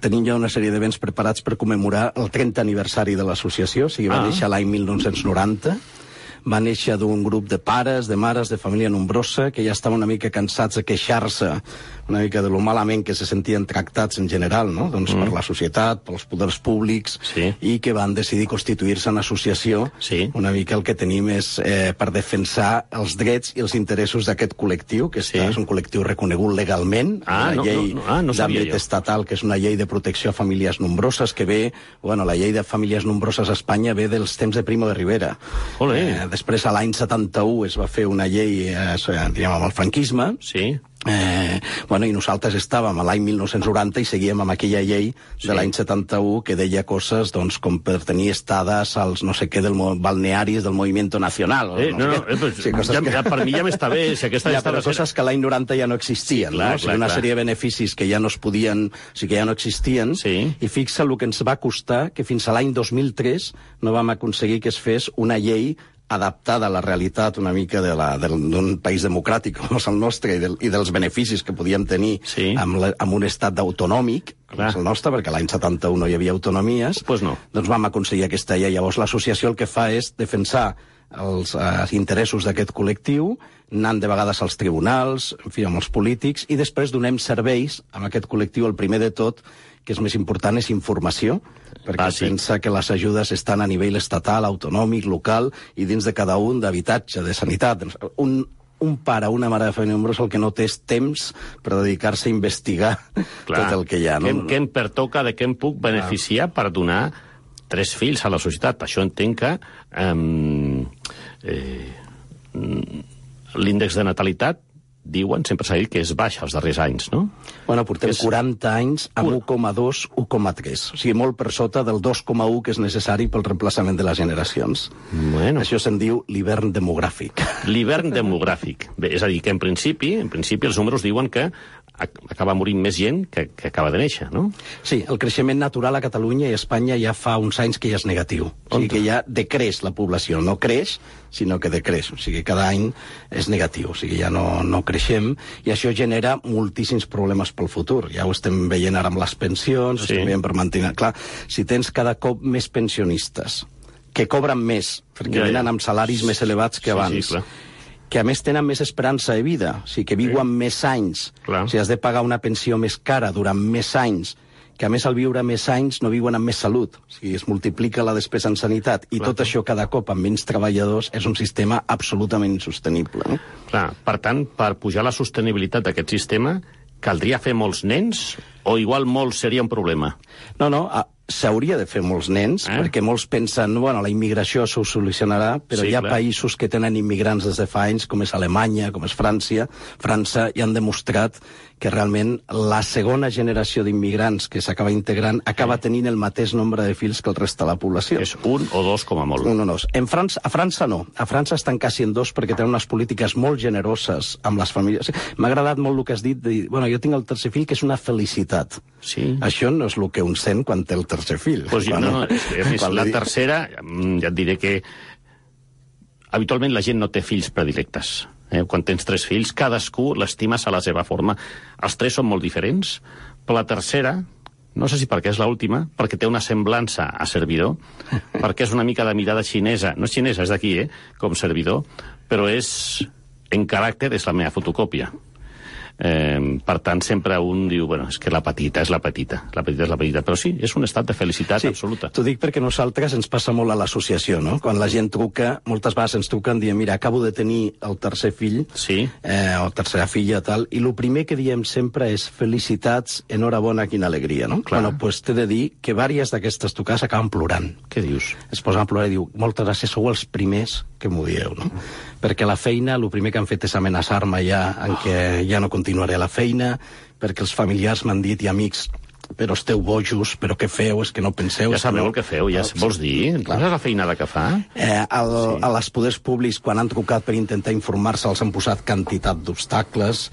tenim ja una sèrie d'events preparats per commemorar el 30 aniversari de l'associació. O sigui, va néixer l'any 1990. Va néixer d'un grup de pares, de mares, de família nombrosa, que ja estaven una mica cansats de queixar-se una mica de lo malament que se sentien tractats en general, no? Doncs per la societat, pels poders públics, i que van decidir constituir-se en associació. Una mica el que tenim és per defensar els drets i els interessos d'aquest col·lectiu, que és un col·lectiu reconegut legalment, una llei d'àmbit estatal, que és una llei de protecció a famílies nombroses, que ve, la llei de famílies nombroses a Espanya ve dels temps de Primo de Rivera. Després, a l'any 71, es va fer una llei, diríem, amb el franquisme, i nosaltres estàvem a l'any 1990 i seguíem amb aquella llei de l'any 71 que deia coses com per tenir estades als no sé què balnearis del Movimiento Nacional. Per mi ja m'està bé. Però coses que l'any 90 ja no existien. Una sèrie de beneficis que ja no es podien, que ja no existien, i fixa el que ens va costar que fins a l'any 2003 no vam aconseguir que es fes una llei adaptada a la realitat una mica d'un país democràtic com és el nostre i dels beneficis que podíem tenir amb un estat autonòmic, com és el nostre, perquè l'any 71 no hi havia autonomies, doncs vam aconseguir aquesta llei. Llavors l'associació el que fa és defensar els interessos d'aquest col·lectiu, anant de vegades als tribunals, en fi, amb els polítics, i després donem serveis amb aquest col·lectiu. El primer de tot, que és més important, és informació, perquè pensa que les ajudes estan a nivell estatal, autonòmic, local, i dins de cada un d'habitatge, de sanitat. Un pare, una mare de família nombrosa, el que no té és temps per dedicar-se a investigar tot el que hi ha. Què em pertoca, de què em puc beneficiar per donar 3 fills a la societat? Per això entenc que l'índex de natalitat, diuen, sempre s'ha dit que és baix els darrers anys, no? Bueno, portem 40 anys amb 1,2, 1,3. O sigui, molt per sota del 2,1 que és necessari pel reemplaçament de les generacions. Bueno. Això se'n diu l'hivern demogràfic. L'hivern demogràfic. Bé, és a dir, que en principi els números diuen que acaba morint més gent que acaba de néixer, no? Sí, el creixement natural a Catalunya i a Espanya ja fa uns anys que ja és negatiu. O sigui que ja decreix la població. No creix, sinó que decreix. O sigui, cada any és negatiu. O sigui, ja no creixem, i això genera moltíssims problemes pel futur. Ja ho estem veient ara amb les pensions, estem veient per mantenir... Clar, si tens cada cop més pensionistes que cobren més, perquè venen amb salaris més elevats que abans, que a més tenen més esperança de vida, o sigui, que viuen més anys, o sigui, has de pagar una pensió més cara durant més anys, que a més al viure més anys no viuen amb més salut, o sigui, es multiplica la despesa en sanitat, i tot això cada cop amb menys treballadors és un sistema absolutament insostenible. No? Clar, per tant, per pujar la sostenibilitat d'aquest sistema, caldria fer molts nens, o igual molts seria un problema? No, s'hauria de fer molts nens, perquè molts pensen, bueno, la immigració s'ho solucionarà, però hi ha països que tenen immigrants des de fa anys, com és Alemanya, com és França, i han demostrat que realment la segona generació d'immigrants que s'acaba integrant acaba tenint el mateix nombre de fills que el reste de la població. És 1 o 2 com a molt. 1 o 2. A França no. A França estan quasi en 2 perquè tenen unes polítiques molt generoses amb les famílies. M'ha agradat molt el que has dit, de dir, bueno, jo tinc el tercer fill, que és una felicitat. Sí. Això no és el que un sent quan té el tercer fill. Pues la tercera, ja et diré que habitualment la gent no té fills predilectes. Quan tens 3 fills, cadascú l'estimes a la seva forma. Els 3 són molt diferents, però la tercera, no sé si perquè és l'última, perquè té una semblança a servidor, perquè és una mica de mirada xinesa, no és xinesa, és d'aquí, com servidor, però en caràcter és la meva fotocòpia. Per tant, sempre un diu, bueno, és que la petita és la petita, però sí, és un estat de felicitat absoluta. T'ho dic perquè nosaltres ens passa molt a l'associació, no? Quan la gent truca, moltes vegades ens truquen dient, mira, acabo de tenir el tercer fill, o tercera filla, tal, i el primer que diem sempre és felicitats, enhorabona, quina alegria, no? Bueno, doncs t'he de dir que vàries d'aquestes trucades acaben plorant. Què dius? Es posen a plorar i diu, moltes gràcies, sou els primers que m'ho dieu, no? Perquè la feina, el primer que han fet és amenaçar-me ja en què ja no continuaré a la feina, perquè els familiars m'han dit, i amics, però esteu bojos, però què feu? És que no penseu... Ja sabeu el que feu, ja vols dir? Quina és la feinada que fa? A les poders públics, quan han trucat per intentar informar-se, els han posat quantitat d'obstacles.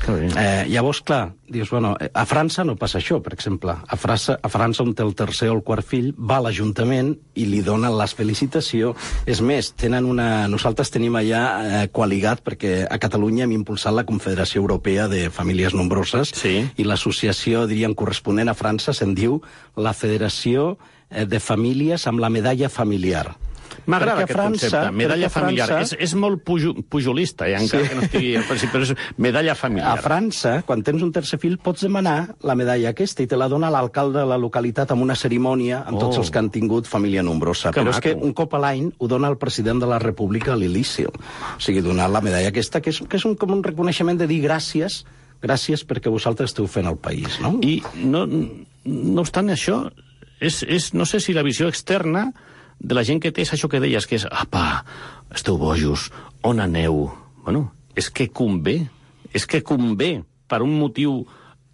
Llavors, clar, dius, bueno, a França no passa això, per exemple. A França, on té el tercer o el quart fill, va a l'Ajuntament i li donen la felicitació. És més, nosaltres tenim allà coaligat, perquè a Catalunya hem impulsat la Confederació Europea de Famílies Nombroses, i l'associació, diríem, corresponent a França se'n diu la Federació de Famílies amb la medalla familiar. M'agrada aquest concepte, medalla familiar. És molt pujolista, encara que no estigui al principi, però és medalla familiar. A França, quan tens un tercer fill, pots demanar la medalla aquesta i te la dona l'alcalde de la localitat amb una cerimònia amb tots els que han tingut família nombrosa. Però és que un cop a l'any ho dona el president de la República a l'Elísio. O sigui, donar la medalla aquesta, que és com un reconeixement de dir gràcies perquè vosaltres esteu fent el país, no? I no obstant això, no sé si la visió externa de la gent que té és això que deies, que és, apa, esteu bojos, on aneu? Bueno, és que convé, per un motiu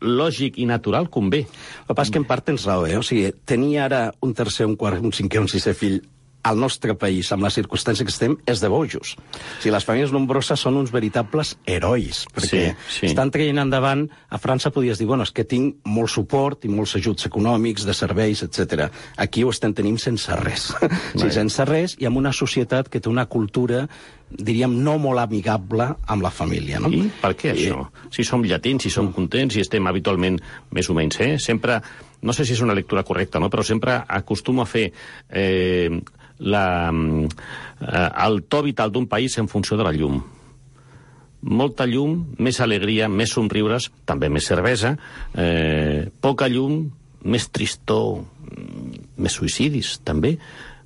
lògic i natural, convé. El que passa és que en part tens raó, O sigui, tenir ara un tercer, un quart, un cinquè, un sisè fill al nostre país, amb la circumstància que estem, és de bojos. O sigui, les famílies nombroses són uns veritables herois, perquè estan traient endavant. A França podies dir, bueno, és que tinc molt suport i molts ajuts econòmics, de serveis, etc. Aquí ho estem tenint sense res. Sense res, i amb una societat que té una cultura, diríem, no molt amigable amb la família. No? I per què això? Si som llatins, si som contents, si estem habitualment més o menys, sempre, no sé si és una lectura correcta, no? Però sempre acostumo a fer el to vital d'un país en funció de la llum. Molta llum, més alegria, més somriures, també més cervesa, poca llum, més tristor, més suïcidis, també,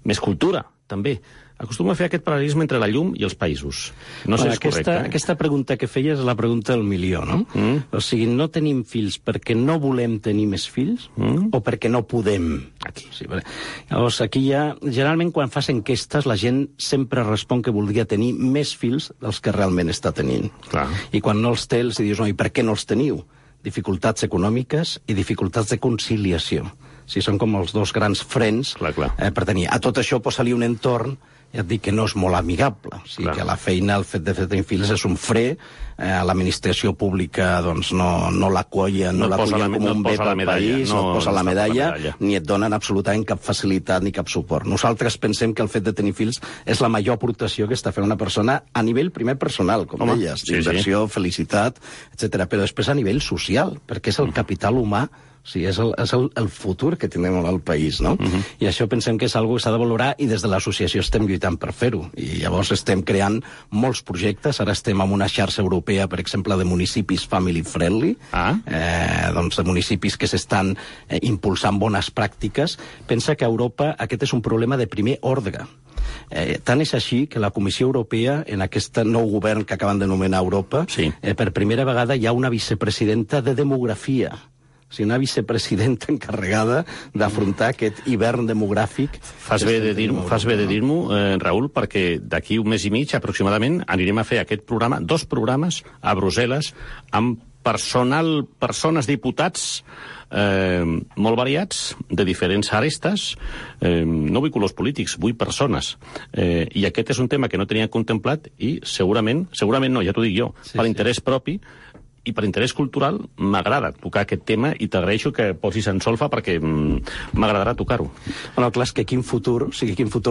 més cultura, també. Acostumo a fer aquest paral·lelisme entre la llum i els països. No sé si és correcte. Aquesta pregunta que feies és la pregunta del milió, no? O sigui, no tenim fills perquè no volem tenir més fills o perquè no podem? Aquí. Sí, llavors, aquí ja, generalment, quan fas enquestes, la gent sempre respon que voldria tenir més fills dels que realment està tenint. Clar. I quan no els té, els dius, no, i per què no els teniu? Dificultats econòmiques i dificultats de conciliació. Sí, són com els dos grans frens per tenir. A tot això posa-li un entorn, ja et dic que no és molt amigable. O sigui, que la feina, el fet de tenir fills és un fre, l'administració pública doncs, no la colla, no la colla com un bé pel país, no et posa la medalla, ni et donen absolutament cap facilitat ni cap suport. Nosaltres pensem que el fet de tenir fills és la major aportació que està fent una persona a nivell primer personal, com deies, d'inversió, felicitat, etc. Però després a nivell social, perquè és el capital humà. O sigui, és el futur que tenim al país, no? I això pensem que és una cosa que s'ha de valorar i des de l'associació estem lluitant per fer-ho. I llavors estem creant molts projectes. Ara estem en una xarxa europea, per exemple, de municipis family-friendly, doncs de municipis que s'estan impulsant bones pràctiques. Pensa que a Europa aquest és un problema de primer ordre. Tant és així que la Comissió Europea, en aquest nou govern que acaben de nomenar a Europa, per primera vegada hi ha una vicepresidenta de demografia. O sigui, una vicepresidenta encarregada d'afrontar aquest hivern demogràfic. Fas bé de dir-m'ho, Raül, perquè d'aquí un mes i mig, aproximadament, anirem a fer aquest programa, 2 programes a Brussel·les, amb persones diputats molt variats, de diferents arestes. No vull colors polítics, vull persones. I aquest és un tema que no tenia contemplat i segurament no, ja t'ho dic jo, per interès propi, i per interès cultural m'agrada tocar aquest tema i t'agraeixo que posis en solfa perquè m'agradarà tocar-ho. Bueno, clar, és que quin futur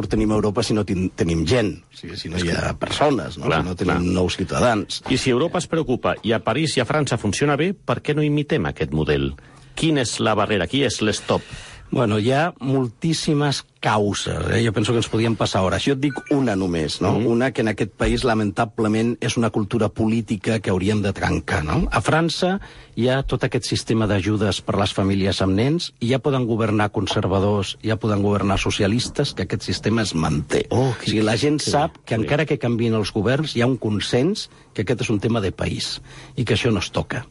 tenim a Europa si no tenim gent, si no hi ha persones, no? Si no tenim nous ciutadans. I si Europa es preocupa i a París i a França funciona bé, per què no imitem aquest model? Quina és la barrera? Qui és l'stop? Bueno, hi ha moltíssimes causes. Jo penso que ens podíem passar hores. Jo et dic una només, no? Una que en aquest país, lamentablement, és una cultura política que hauríem de trencar, no? A França hi ha tot aquest sistema d'ajudes per les famílies amb nens i ja poden governar conservadors, ja poden governar socialistes, que aquest sistema es manté. O sigui, la gent sap que encara que canvien els governs, hi ha un consens que aquest és un tema de país i que això no es toca.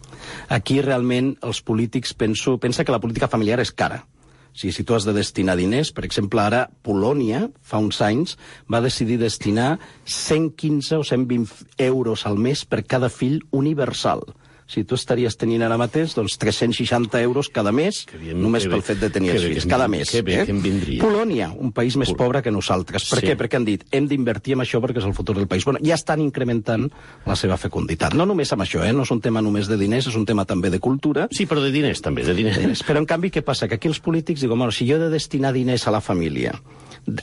Aquí realment els polítics pensa que la política familiar és cara. Si tu has de destinar diners, per exemple, ara Polònia, fa uns anys, va decidir destinar 115 o 120 euros al mes per cada fill universal. Si tu estaries tenint ara mateix, doncs 360 euros cada mes, només pel fet de tenir els fills, cada mes. Polònia, un país més pobre que nosaltres. Per què? Perquè han dit, hem d'invertir en això perquè és el futur del país. Bueno, ja estan incrementant la seva fecunditat. No només amb això, no és un tema només de diners, és un tema també de cultura. Sí, però de diners també, de diners. Però en canvi, què passa? Que aquí els polítics diuen, bueno, si jo he de destinar diners a la família,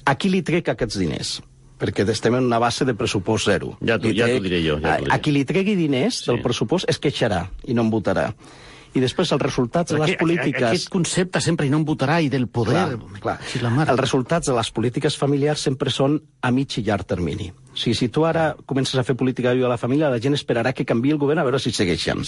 a qui li trec aquests diners? Perquè estem en una base de pressupost zero. Ja t'ho diré jo. A qui li tregui diners del pressupost es queixarà i no en votarà. I després els resultats de les polítiques... Aquest concepte sempre i no en votarà i del poder... Clar. Els resultats de les polítiques familiars sempre són a mig i llarg termini. O sigui, si tu ara comences a fer política de la família, la gent esperarà que canviï el govern a veure si segueixen.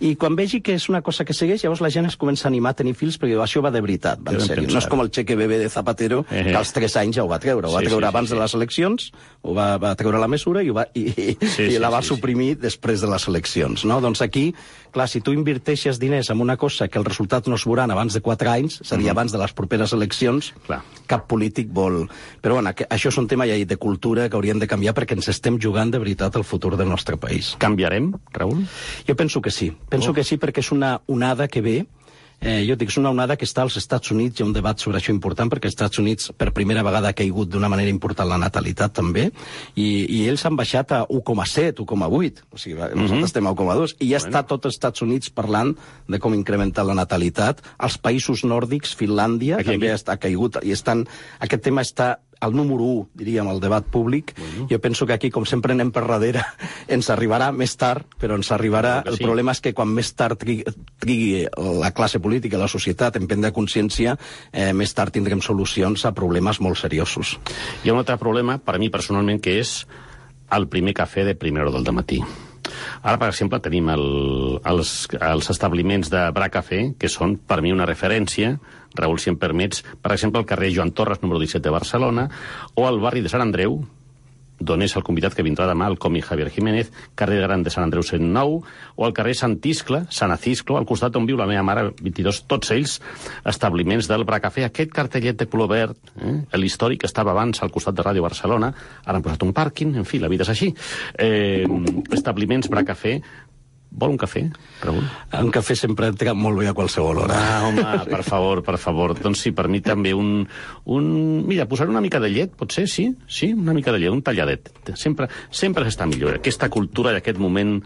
I quan vegi que és una cosa que segueix, llavors la gent es comença a animar a tenir fills perquè això va de veritat, va en sèrio. No és com el cheque bebé de Zapatero, que als 3 anys ja ho va treure. Ho va treure abans de les eleccions, ho va treure la mesura i la va suprimir després de les eleccions. Doncs aquí, clar, si tu inverteixes diners en una cosa que els resultats no es veuran abans de 4 anys, és a dir, abans de les properes eleccions, cap polític vol... Però bueno, això és un tema ja de cultura que hauríem de canviar perquè ens estem jugant de veritat el futur del nostre país. Canviarem, Raül? Jo penso que sí. Penso que sí perquè és una onada que ve jo dic, és una onada que està als Estats Units, hi ha un debat sobre això important, perquè als Estats Units per primera vegada ha caigut d'una manera important la natalitat també, i ells han baixat a 1,7, 1,8, o sigui, nosaltres estem a 1,2, i ja està tot els Estats Units parlant de com incrementar la natalitat. Els països nòrdics, Finlàndia, també ha caigut, i aquest tema està al número 1, diríem, al debat públic. Jo penso que aquí, com sempre anem per darrere, ens arribarà més tard, però ens arribarà. El problema és que quan més tard trigui la classe política, la societat, en prendre consciència, més tard tindrem solucions a problemes molt seriosos. Hi ha un altre problema, per a mi personalment, que és el primer cafè de primera hora del matí. Ara, per exemple, tenim els establiments de Bra Cafè, que són, per mi, una referència. Raül, si em permets, per exemple, al carrer Joan Torres, número 17 de Barcelona, o al barri de Sant Andreu, d'on és el convidat que vindrà demà, el còmic Javier Jiménez, carrer Gran de Sant Andreu 109, o al carrer Sant Acisclo, al costat on viu la meva mare, 22, tots ells establiments del Bra Cafè. Aquest cartellet de color verd, l'històric, estava abans al costat de Ràdio Barcelona, ara han posat un pàrquing, en fi, la vida és així. Establiments Bra Cafè. Vol un cafè, Raül? Un cafè sempre entra molt bé a qualsevol hora. Home, per favor. Doncs sí, per mi també Mira, posar una mica de llet, potser, sí, una mica de llet, un talladet. Sempre s'està millor. Aquesta cultura i aquest moment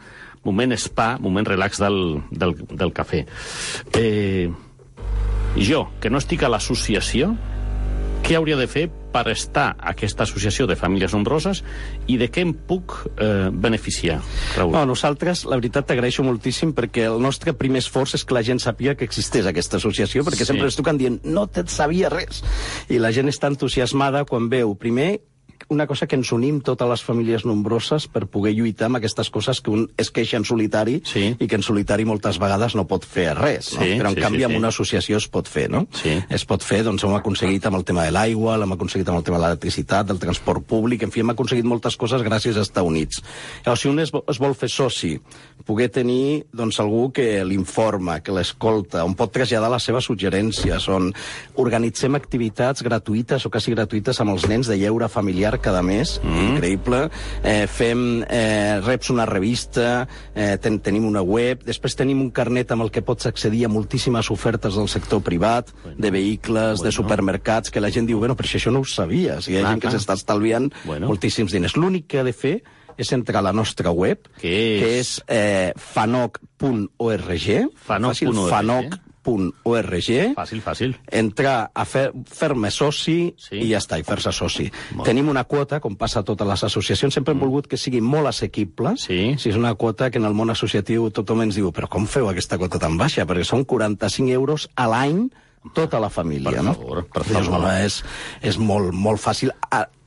spa, moment relax del cafè. Jo, que no estic a l'associació, què hauria de fer per estar a aquesta associació de famílies nombroses i de què em puc beneficiar, Raül? No, nosaltres, la veritat, t'agraeixo moltíssim perquè el nostre primer esforç és que la gent sàpiga que existeix aquesta associació, perquè sempre ens truquen dient no te'n sabia res. I la gent està entusiasmada quan veu, primer, una cosa que ens unim totes les famílies nombroses per poder lluitar amb aquestes coses que un es queixa en solitari i que en solitari moltes vegades no pot fer res, no? Però en canvi amb una associació es pot fer, no? Es pot fer, doncs hem aconseguit amb el tema de l'aigua, l'hem aconseguit amb el tema de l'electricitat, del transport públic, en fi, hem aconseguit moltes coses gràcies a estar units. Llavors, si un es vol fer soci, poder tenir doncs, algú que l'informa, que l'escolta, on pot traslladar les seves suggerències, on organitzem activitats gratuïtes o quasi gratuïtes amb els nens de lleure familiar cada mes, increïble. Reps una revista, tenim una web, després tenim un carnet amb el que pots accedir a moltíssimes ofertes del sector privat, de vehicles, de supermercats, que la gent diu, bueno, però això no ho sabia. O sigui, hi ha gent que s'està estalviant moltíssims diners. L'únic que ha de fer és entrar a la nostra web, que és fanoc.org, fanoc.org, Fàcil. Entrar a fer-me soci i ja està, i fer-se soci. Tenim una quota, com passa a totes les associacions, sempre hem volgut que sigui molt assequible. Si és una quota que en el món associatiu tothom ens diu, però com feu aquesta quota tan baixa? Perquè són 45 euros a l'any tota la família. Per favor. És molt fàcil.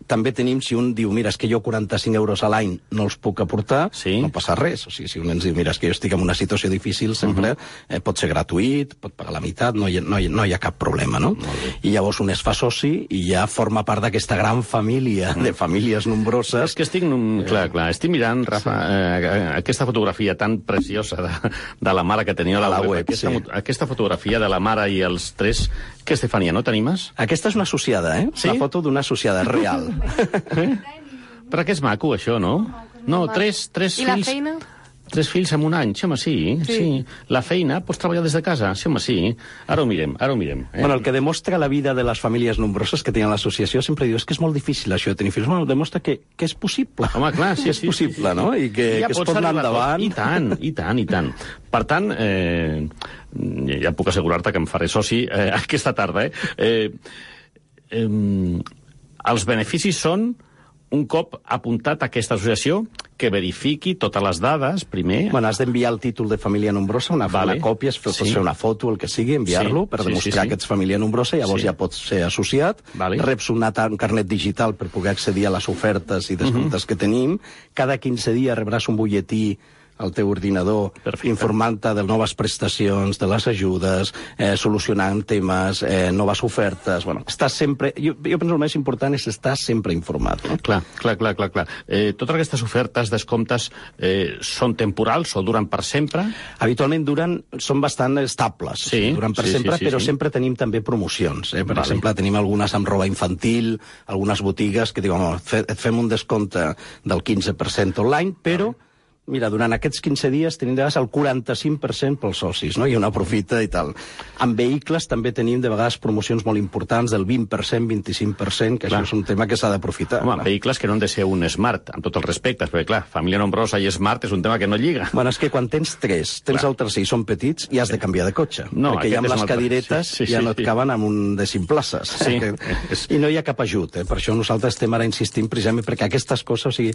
També tenim, si un diu, mira, és que jo 45 euros a l'any no els puc aportar, no passa res. O sigui, si un ens diu, mira, és que jo estic en una situació difícil, sempre pot ser gratuït, pot pagar la meitat, no hi ha cap problema, no? I llavors un es fa soci i ja forma part d'aquesta gran família de famílies nombroses. És que estic mirant, Rafa, aquesta fotografia tan preciosa de la mare que tenia a la web. Aquesta fotografia de la mare i els tres, què, Estefania, no t'animes? Aquesta és una associada, la foto d'una associada real. Però que és maco, això, no? No, tres fills... I la feina? 3 fills en un any, sí, home, sí. La feina, pots treballar des de casa, sí, home, sí. Ara ho mirem. Bueno, el que demostra la vida de les famílies nombroses que tenen l'associació sempre diu, és que és molt difícil això de tenir fills. Bueno, demostra que és possible. Home, clar, sí. És possible, no? I que es pot anar endavant. I tant. Per tant, ja puc assegurar-te que em faré soci aquesta tarda, els beneficis són, un cop apuntat a aquesta associació, que verifiqui totes les dades, primer... Bueno, has d'enviar el títol de família nombrosa, una còpia, pots fer una foto, el que sigui, enviar-lo per demostrar que ets família nombrosa, llavors ja pots ser associat, reps un carnet digital per poder accedir a les ofertes i descomptes que tenim, cada 15 dies rebràs un butlletí al teu ordinador, informant-te de noves prestacions, de les ajudes, solucionant temes, noves ofertes... Bueno, estàs sempre... Jo penso el més important és estar sempre informat. No? Clar. Totes aquestes ofertes, descomptes, són temporals o duren per sempre? Habitualment són bastant estables. Duren per sempre, però sempre tenim també promocions. Per exemple, tenim algunes amb roba infantil, algunes botigues que diuen, et fem un descompte del 15% online, però Mira, durant aquests 15 dies tenim de vegades el 45% pels socis, no? I una aprofita i tal. En vehicles també tenim de vegades promocions molt importants del 20%, 25%, que clar, això és un tema que s'ha d'aprofitar. Home, vehicles que no han de ser un Smart, amb tots els respectes, perquè clar, família nombrosa i Smart és un tema que no lliga. Bueno, és que quan tens 3, tens el tercer i són petits, i has de canviar de cotxe. No, perquè ja amb les cadiretes ja no et caben amb un de 5 places. Sí. I no hi ha cap ajut, Per això nosaltres estem ara insistint precisament perquè aquestes coses, o sigui,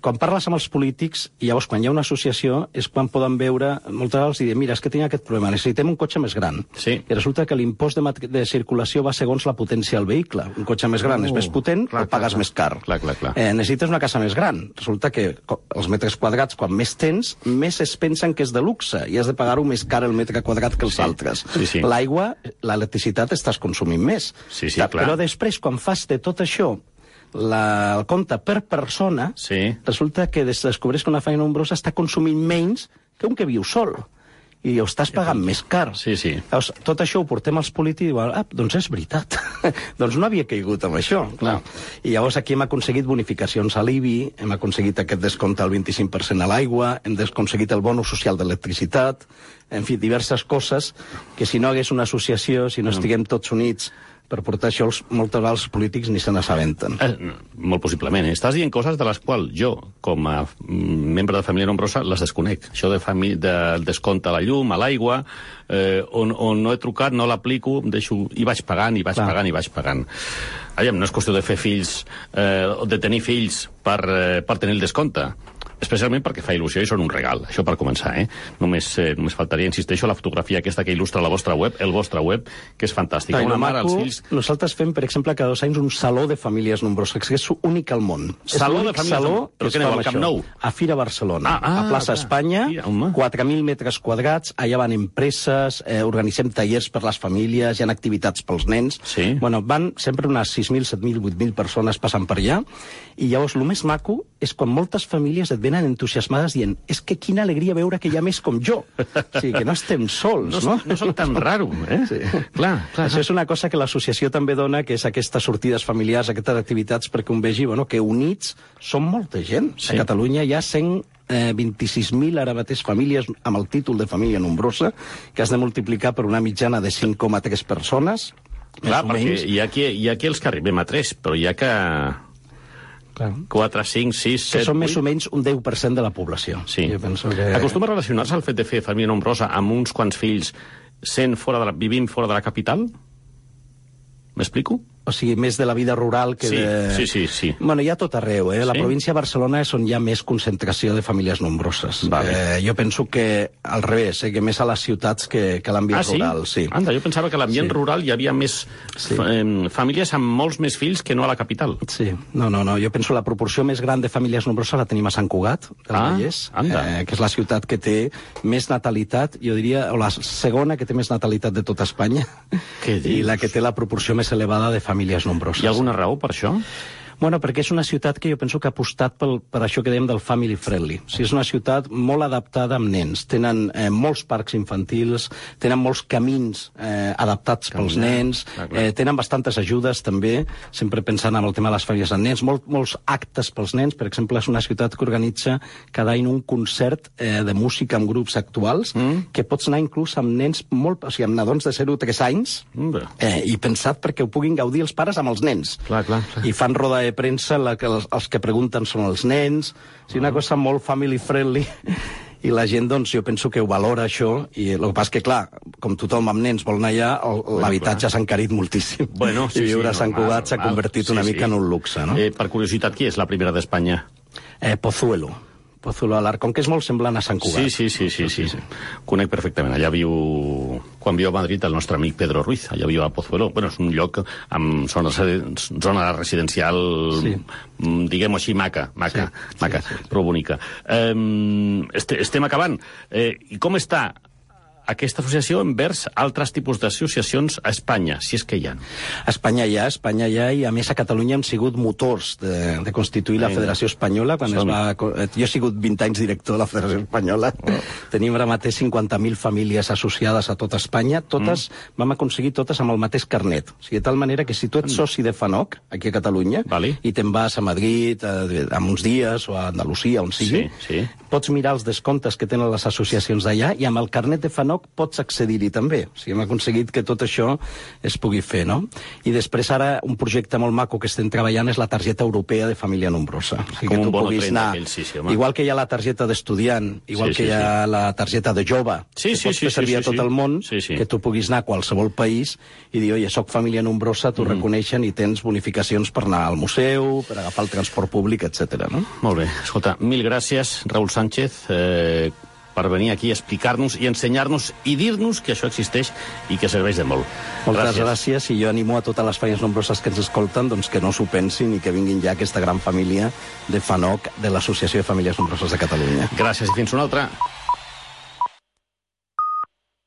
quan parles amb els polítics, i llavors quan hi ha una associació és quan poden veure, moltes vegades, i dir, mira, és que tinc aquest problema, necessitem un cotxe més gran. Sí. I resulta que l'impost de circulació va segons la potència del vehicle. Un cotxe més gran és més potent, o pagues més car. Necessites una casa més gran. Resulta que els metres quadrats, quan més tens, més es pensen que és de luxe, i has de pagar-ho més car el metre quadrat que els altres. L'aigua, l'electricitat, estàs consumint més. Però després, quan fas de tot això el compte per persona, resulta que descobreix que una família nombrosa està consumint menys que un que viu sol. I ho estàs pagant més car. Llavors, tot això ho portem als polítics i diuen, doncs és veritat. Doncs no havia caigut amb això. I llavors aquí hem aconseguit bonificacions a l'IBI, hem aconseguit aquest descompte al 25% a l'aigua, hem aconseguit el bono social d'electricitat, en fi, diverses coses que si no hagués una associació, si no estiguem tots units per portar això, moltes vegades els polítics ni se n'assabenten. Molt possiblement. Estàs dient coses de les quals jo, com a membre de família nombrosa, les desconec. Això del descompte a la llum, a l'aigua, on no he trucat, no l'aplico, i vaig pagant, i vaig pagant, i vaig pagant. No és qüestió de fer fills, o de tenir fills per tenir el descompte. Especialment perquè fa il·lusió i són un regal. Això per començar, Només faltaria, insisteixo, la fotografia aquesta que il·lustra la vostra web, el vostre web, que és fantàstica. Una mare, els fills... Nosaltres fem, per exemple, cada 2 anys un saló de famílies nombroses, que és únic al món. Saló de famílies nombroses? Però què aneu, al Camp Nou? A Fira Barcelona, a Plaça Espanya, 4.000 metres quadrats, allà van empreses, organitzem tallers per les famílies, hi ha activitats pels nens. Bueno, van sempre unes 6.000, 7.000, 8.000 persones passant per allà, i llavors el més maco és quan moltes famílies et venen entusiasmades dient és que quina alegria veure que hi ha més com jo. O sigui, que no estem sols, no? No soc tan raro, Clar. Això és una cosa que l'associació també dona, que és aquestes sortides familiars, aquestes activitats, perquè un vegi que units som molta gent. A Catalunya hi ha 126.000 ara mateix famílies amb el títol de família nombrosa, que has de multiplicar per una mitjana de 5,3 persones. Clar, perquè hi ha qui els que arribem a 3, però hi ha que... 4, 5, 6, 7, 8... Que són més o menys un 10% de la població. Jo penso que... Acostuma a relacionar-se el fet de fer família nombrosa amb uns quants fills vivint fora de la capital? M'explico? O sigui, més de la vida rural que de... Sí. Bueno, hi ha tot arreu, La província de Barcelona és on hi ha més concentració de famílies nombroses. Jo penso que al revés, que més a les ciutats que l'ambient rural. Anda, jo pensava que a l'ambient rural hi havia més famílies amb molts més fills que no a la capital. No, jo penso la proporció més gran de famílies nombroses la tenim a Sant Cugat, del Vallès, que és la ciutat que té més natalitat, jo diria, o la segona que té més natalitat de tota Espanya, i la que té la proporció més elevada de famílies nombroses. Hi ha alguna raó per això? Bueno, perquè és una ciutat que jo penso que ha apostat per això que dèiem del family friendly. O sigui, és una ciutat molt adaptada amb nens. Tenen molts parcs infantils, tenen molts camins adaptats pels nens, tenen bastantes ajudes també, sempre pensant en el tema de les famílies amb nens, molts actes pels nens. Per exemple, és una ciutat que organitza cada any un concert de música amb grups actuals, que pots anar inclús amb nens o sigui, amb nadons de 0 a 3 anys, i pensat perquè ho puguin gaudir els pares amb els nens. I fan roda de premsa, els que pregunten són els nens, o sigui, una cosa molt family friendly, i la gent, doncs, jo penso que ho valora, això, i el que passa que, clar, com tothom amb nens vol anar allà, l'habitatge s'ha encarit moltíssim. I viure a Sant Cugat s'ha convertit una mica en un luxe, no? Per curiositat, qui és la primera d'Espanya? Pozuelo d'Alarcón, que és molt semblant a Sant Cugat. Sí. Conec perfectament. Allà quan viu a Madrid, el nostre amic Pedro Ruiz. Allà viu a Pozuelo. Bueno, és un lloc amb zona residencial, diguem-ho així, maca, però bonica. Estem acabant. I com està aquesta associació envers altres tipus d'associacions a Espanya, si és que hi ha. A Espanya hi ha, i a més a Catalunya hem sigut motors de constituir la Federació Espanyola. Jo he sigut 20 anys director de la Federació Espanyola. Tenim ara mateix 50.000 famílies associades a tota Espanya. Totes, vam aconseguir totes amb el mateix carnet. O sigui, de tal manera que si tu ets soci de FANOC, aquí a Catalunya, i te'n vas a Madrid en uns dies, o a Andalusia, on sigui, pots mirar els descomptes que tenen les associacions d'allà, i amb el carnet de FANOC pots accedir-hi també. O sigui, hem aconseguit que tot això es pugui fer, no? I després ara un projecte molt maco que estem treballant és la targeta europea de família nombrosa. O sigui, com un bono 30 aquell, igual que hi ha la targeta d'estudiant, igual que hi ha la targeta de jove, que pots fer servir a tot el món, que tu puguis anar a qualsevol país i dir, oye, soc família nombrosa, t'ho reconeixen i tens bonificacions per anar al museu, per agafar el transport públic, etc. No? Molt bé. Escolta, mil gràcies, Raül Sánchez, per venir aquí a explicar-nos i ensenyar-nos i dir-nos que això existeix i que serveix de molt. Moltes gràcies, i jo animo a totes les famílies nombroses que ens escolten doncs que no s'ho pensin i que vinguin ja aquesta gran família de FANOC, de l'Associació de Famílies Nombroses de Catalunya. Gràcies i fins una altra.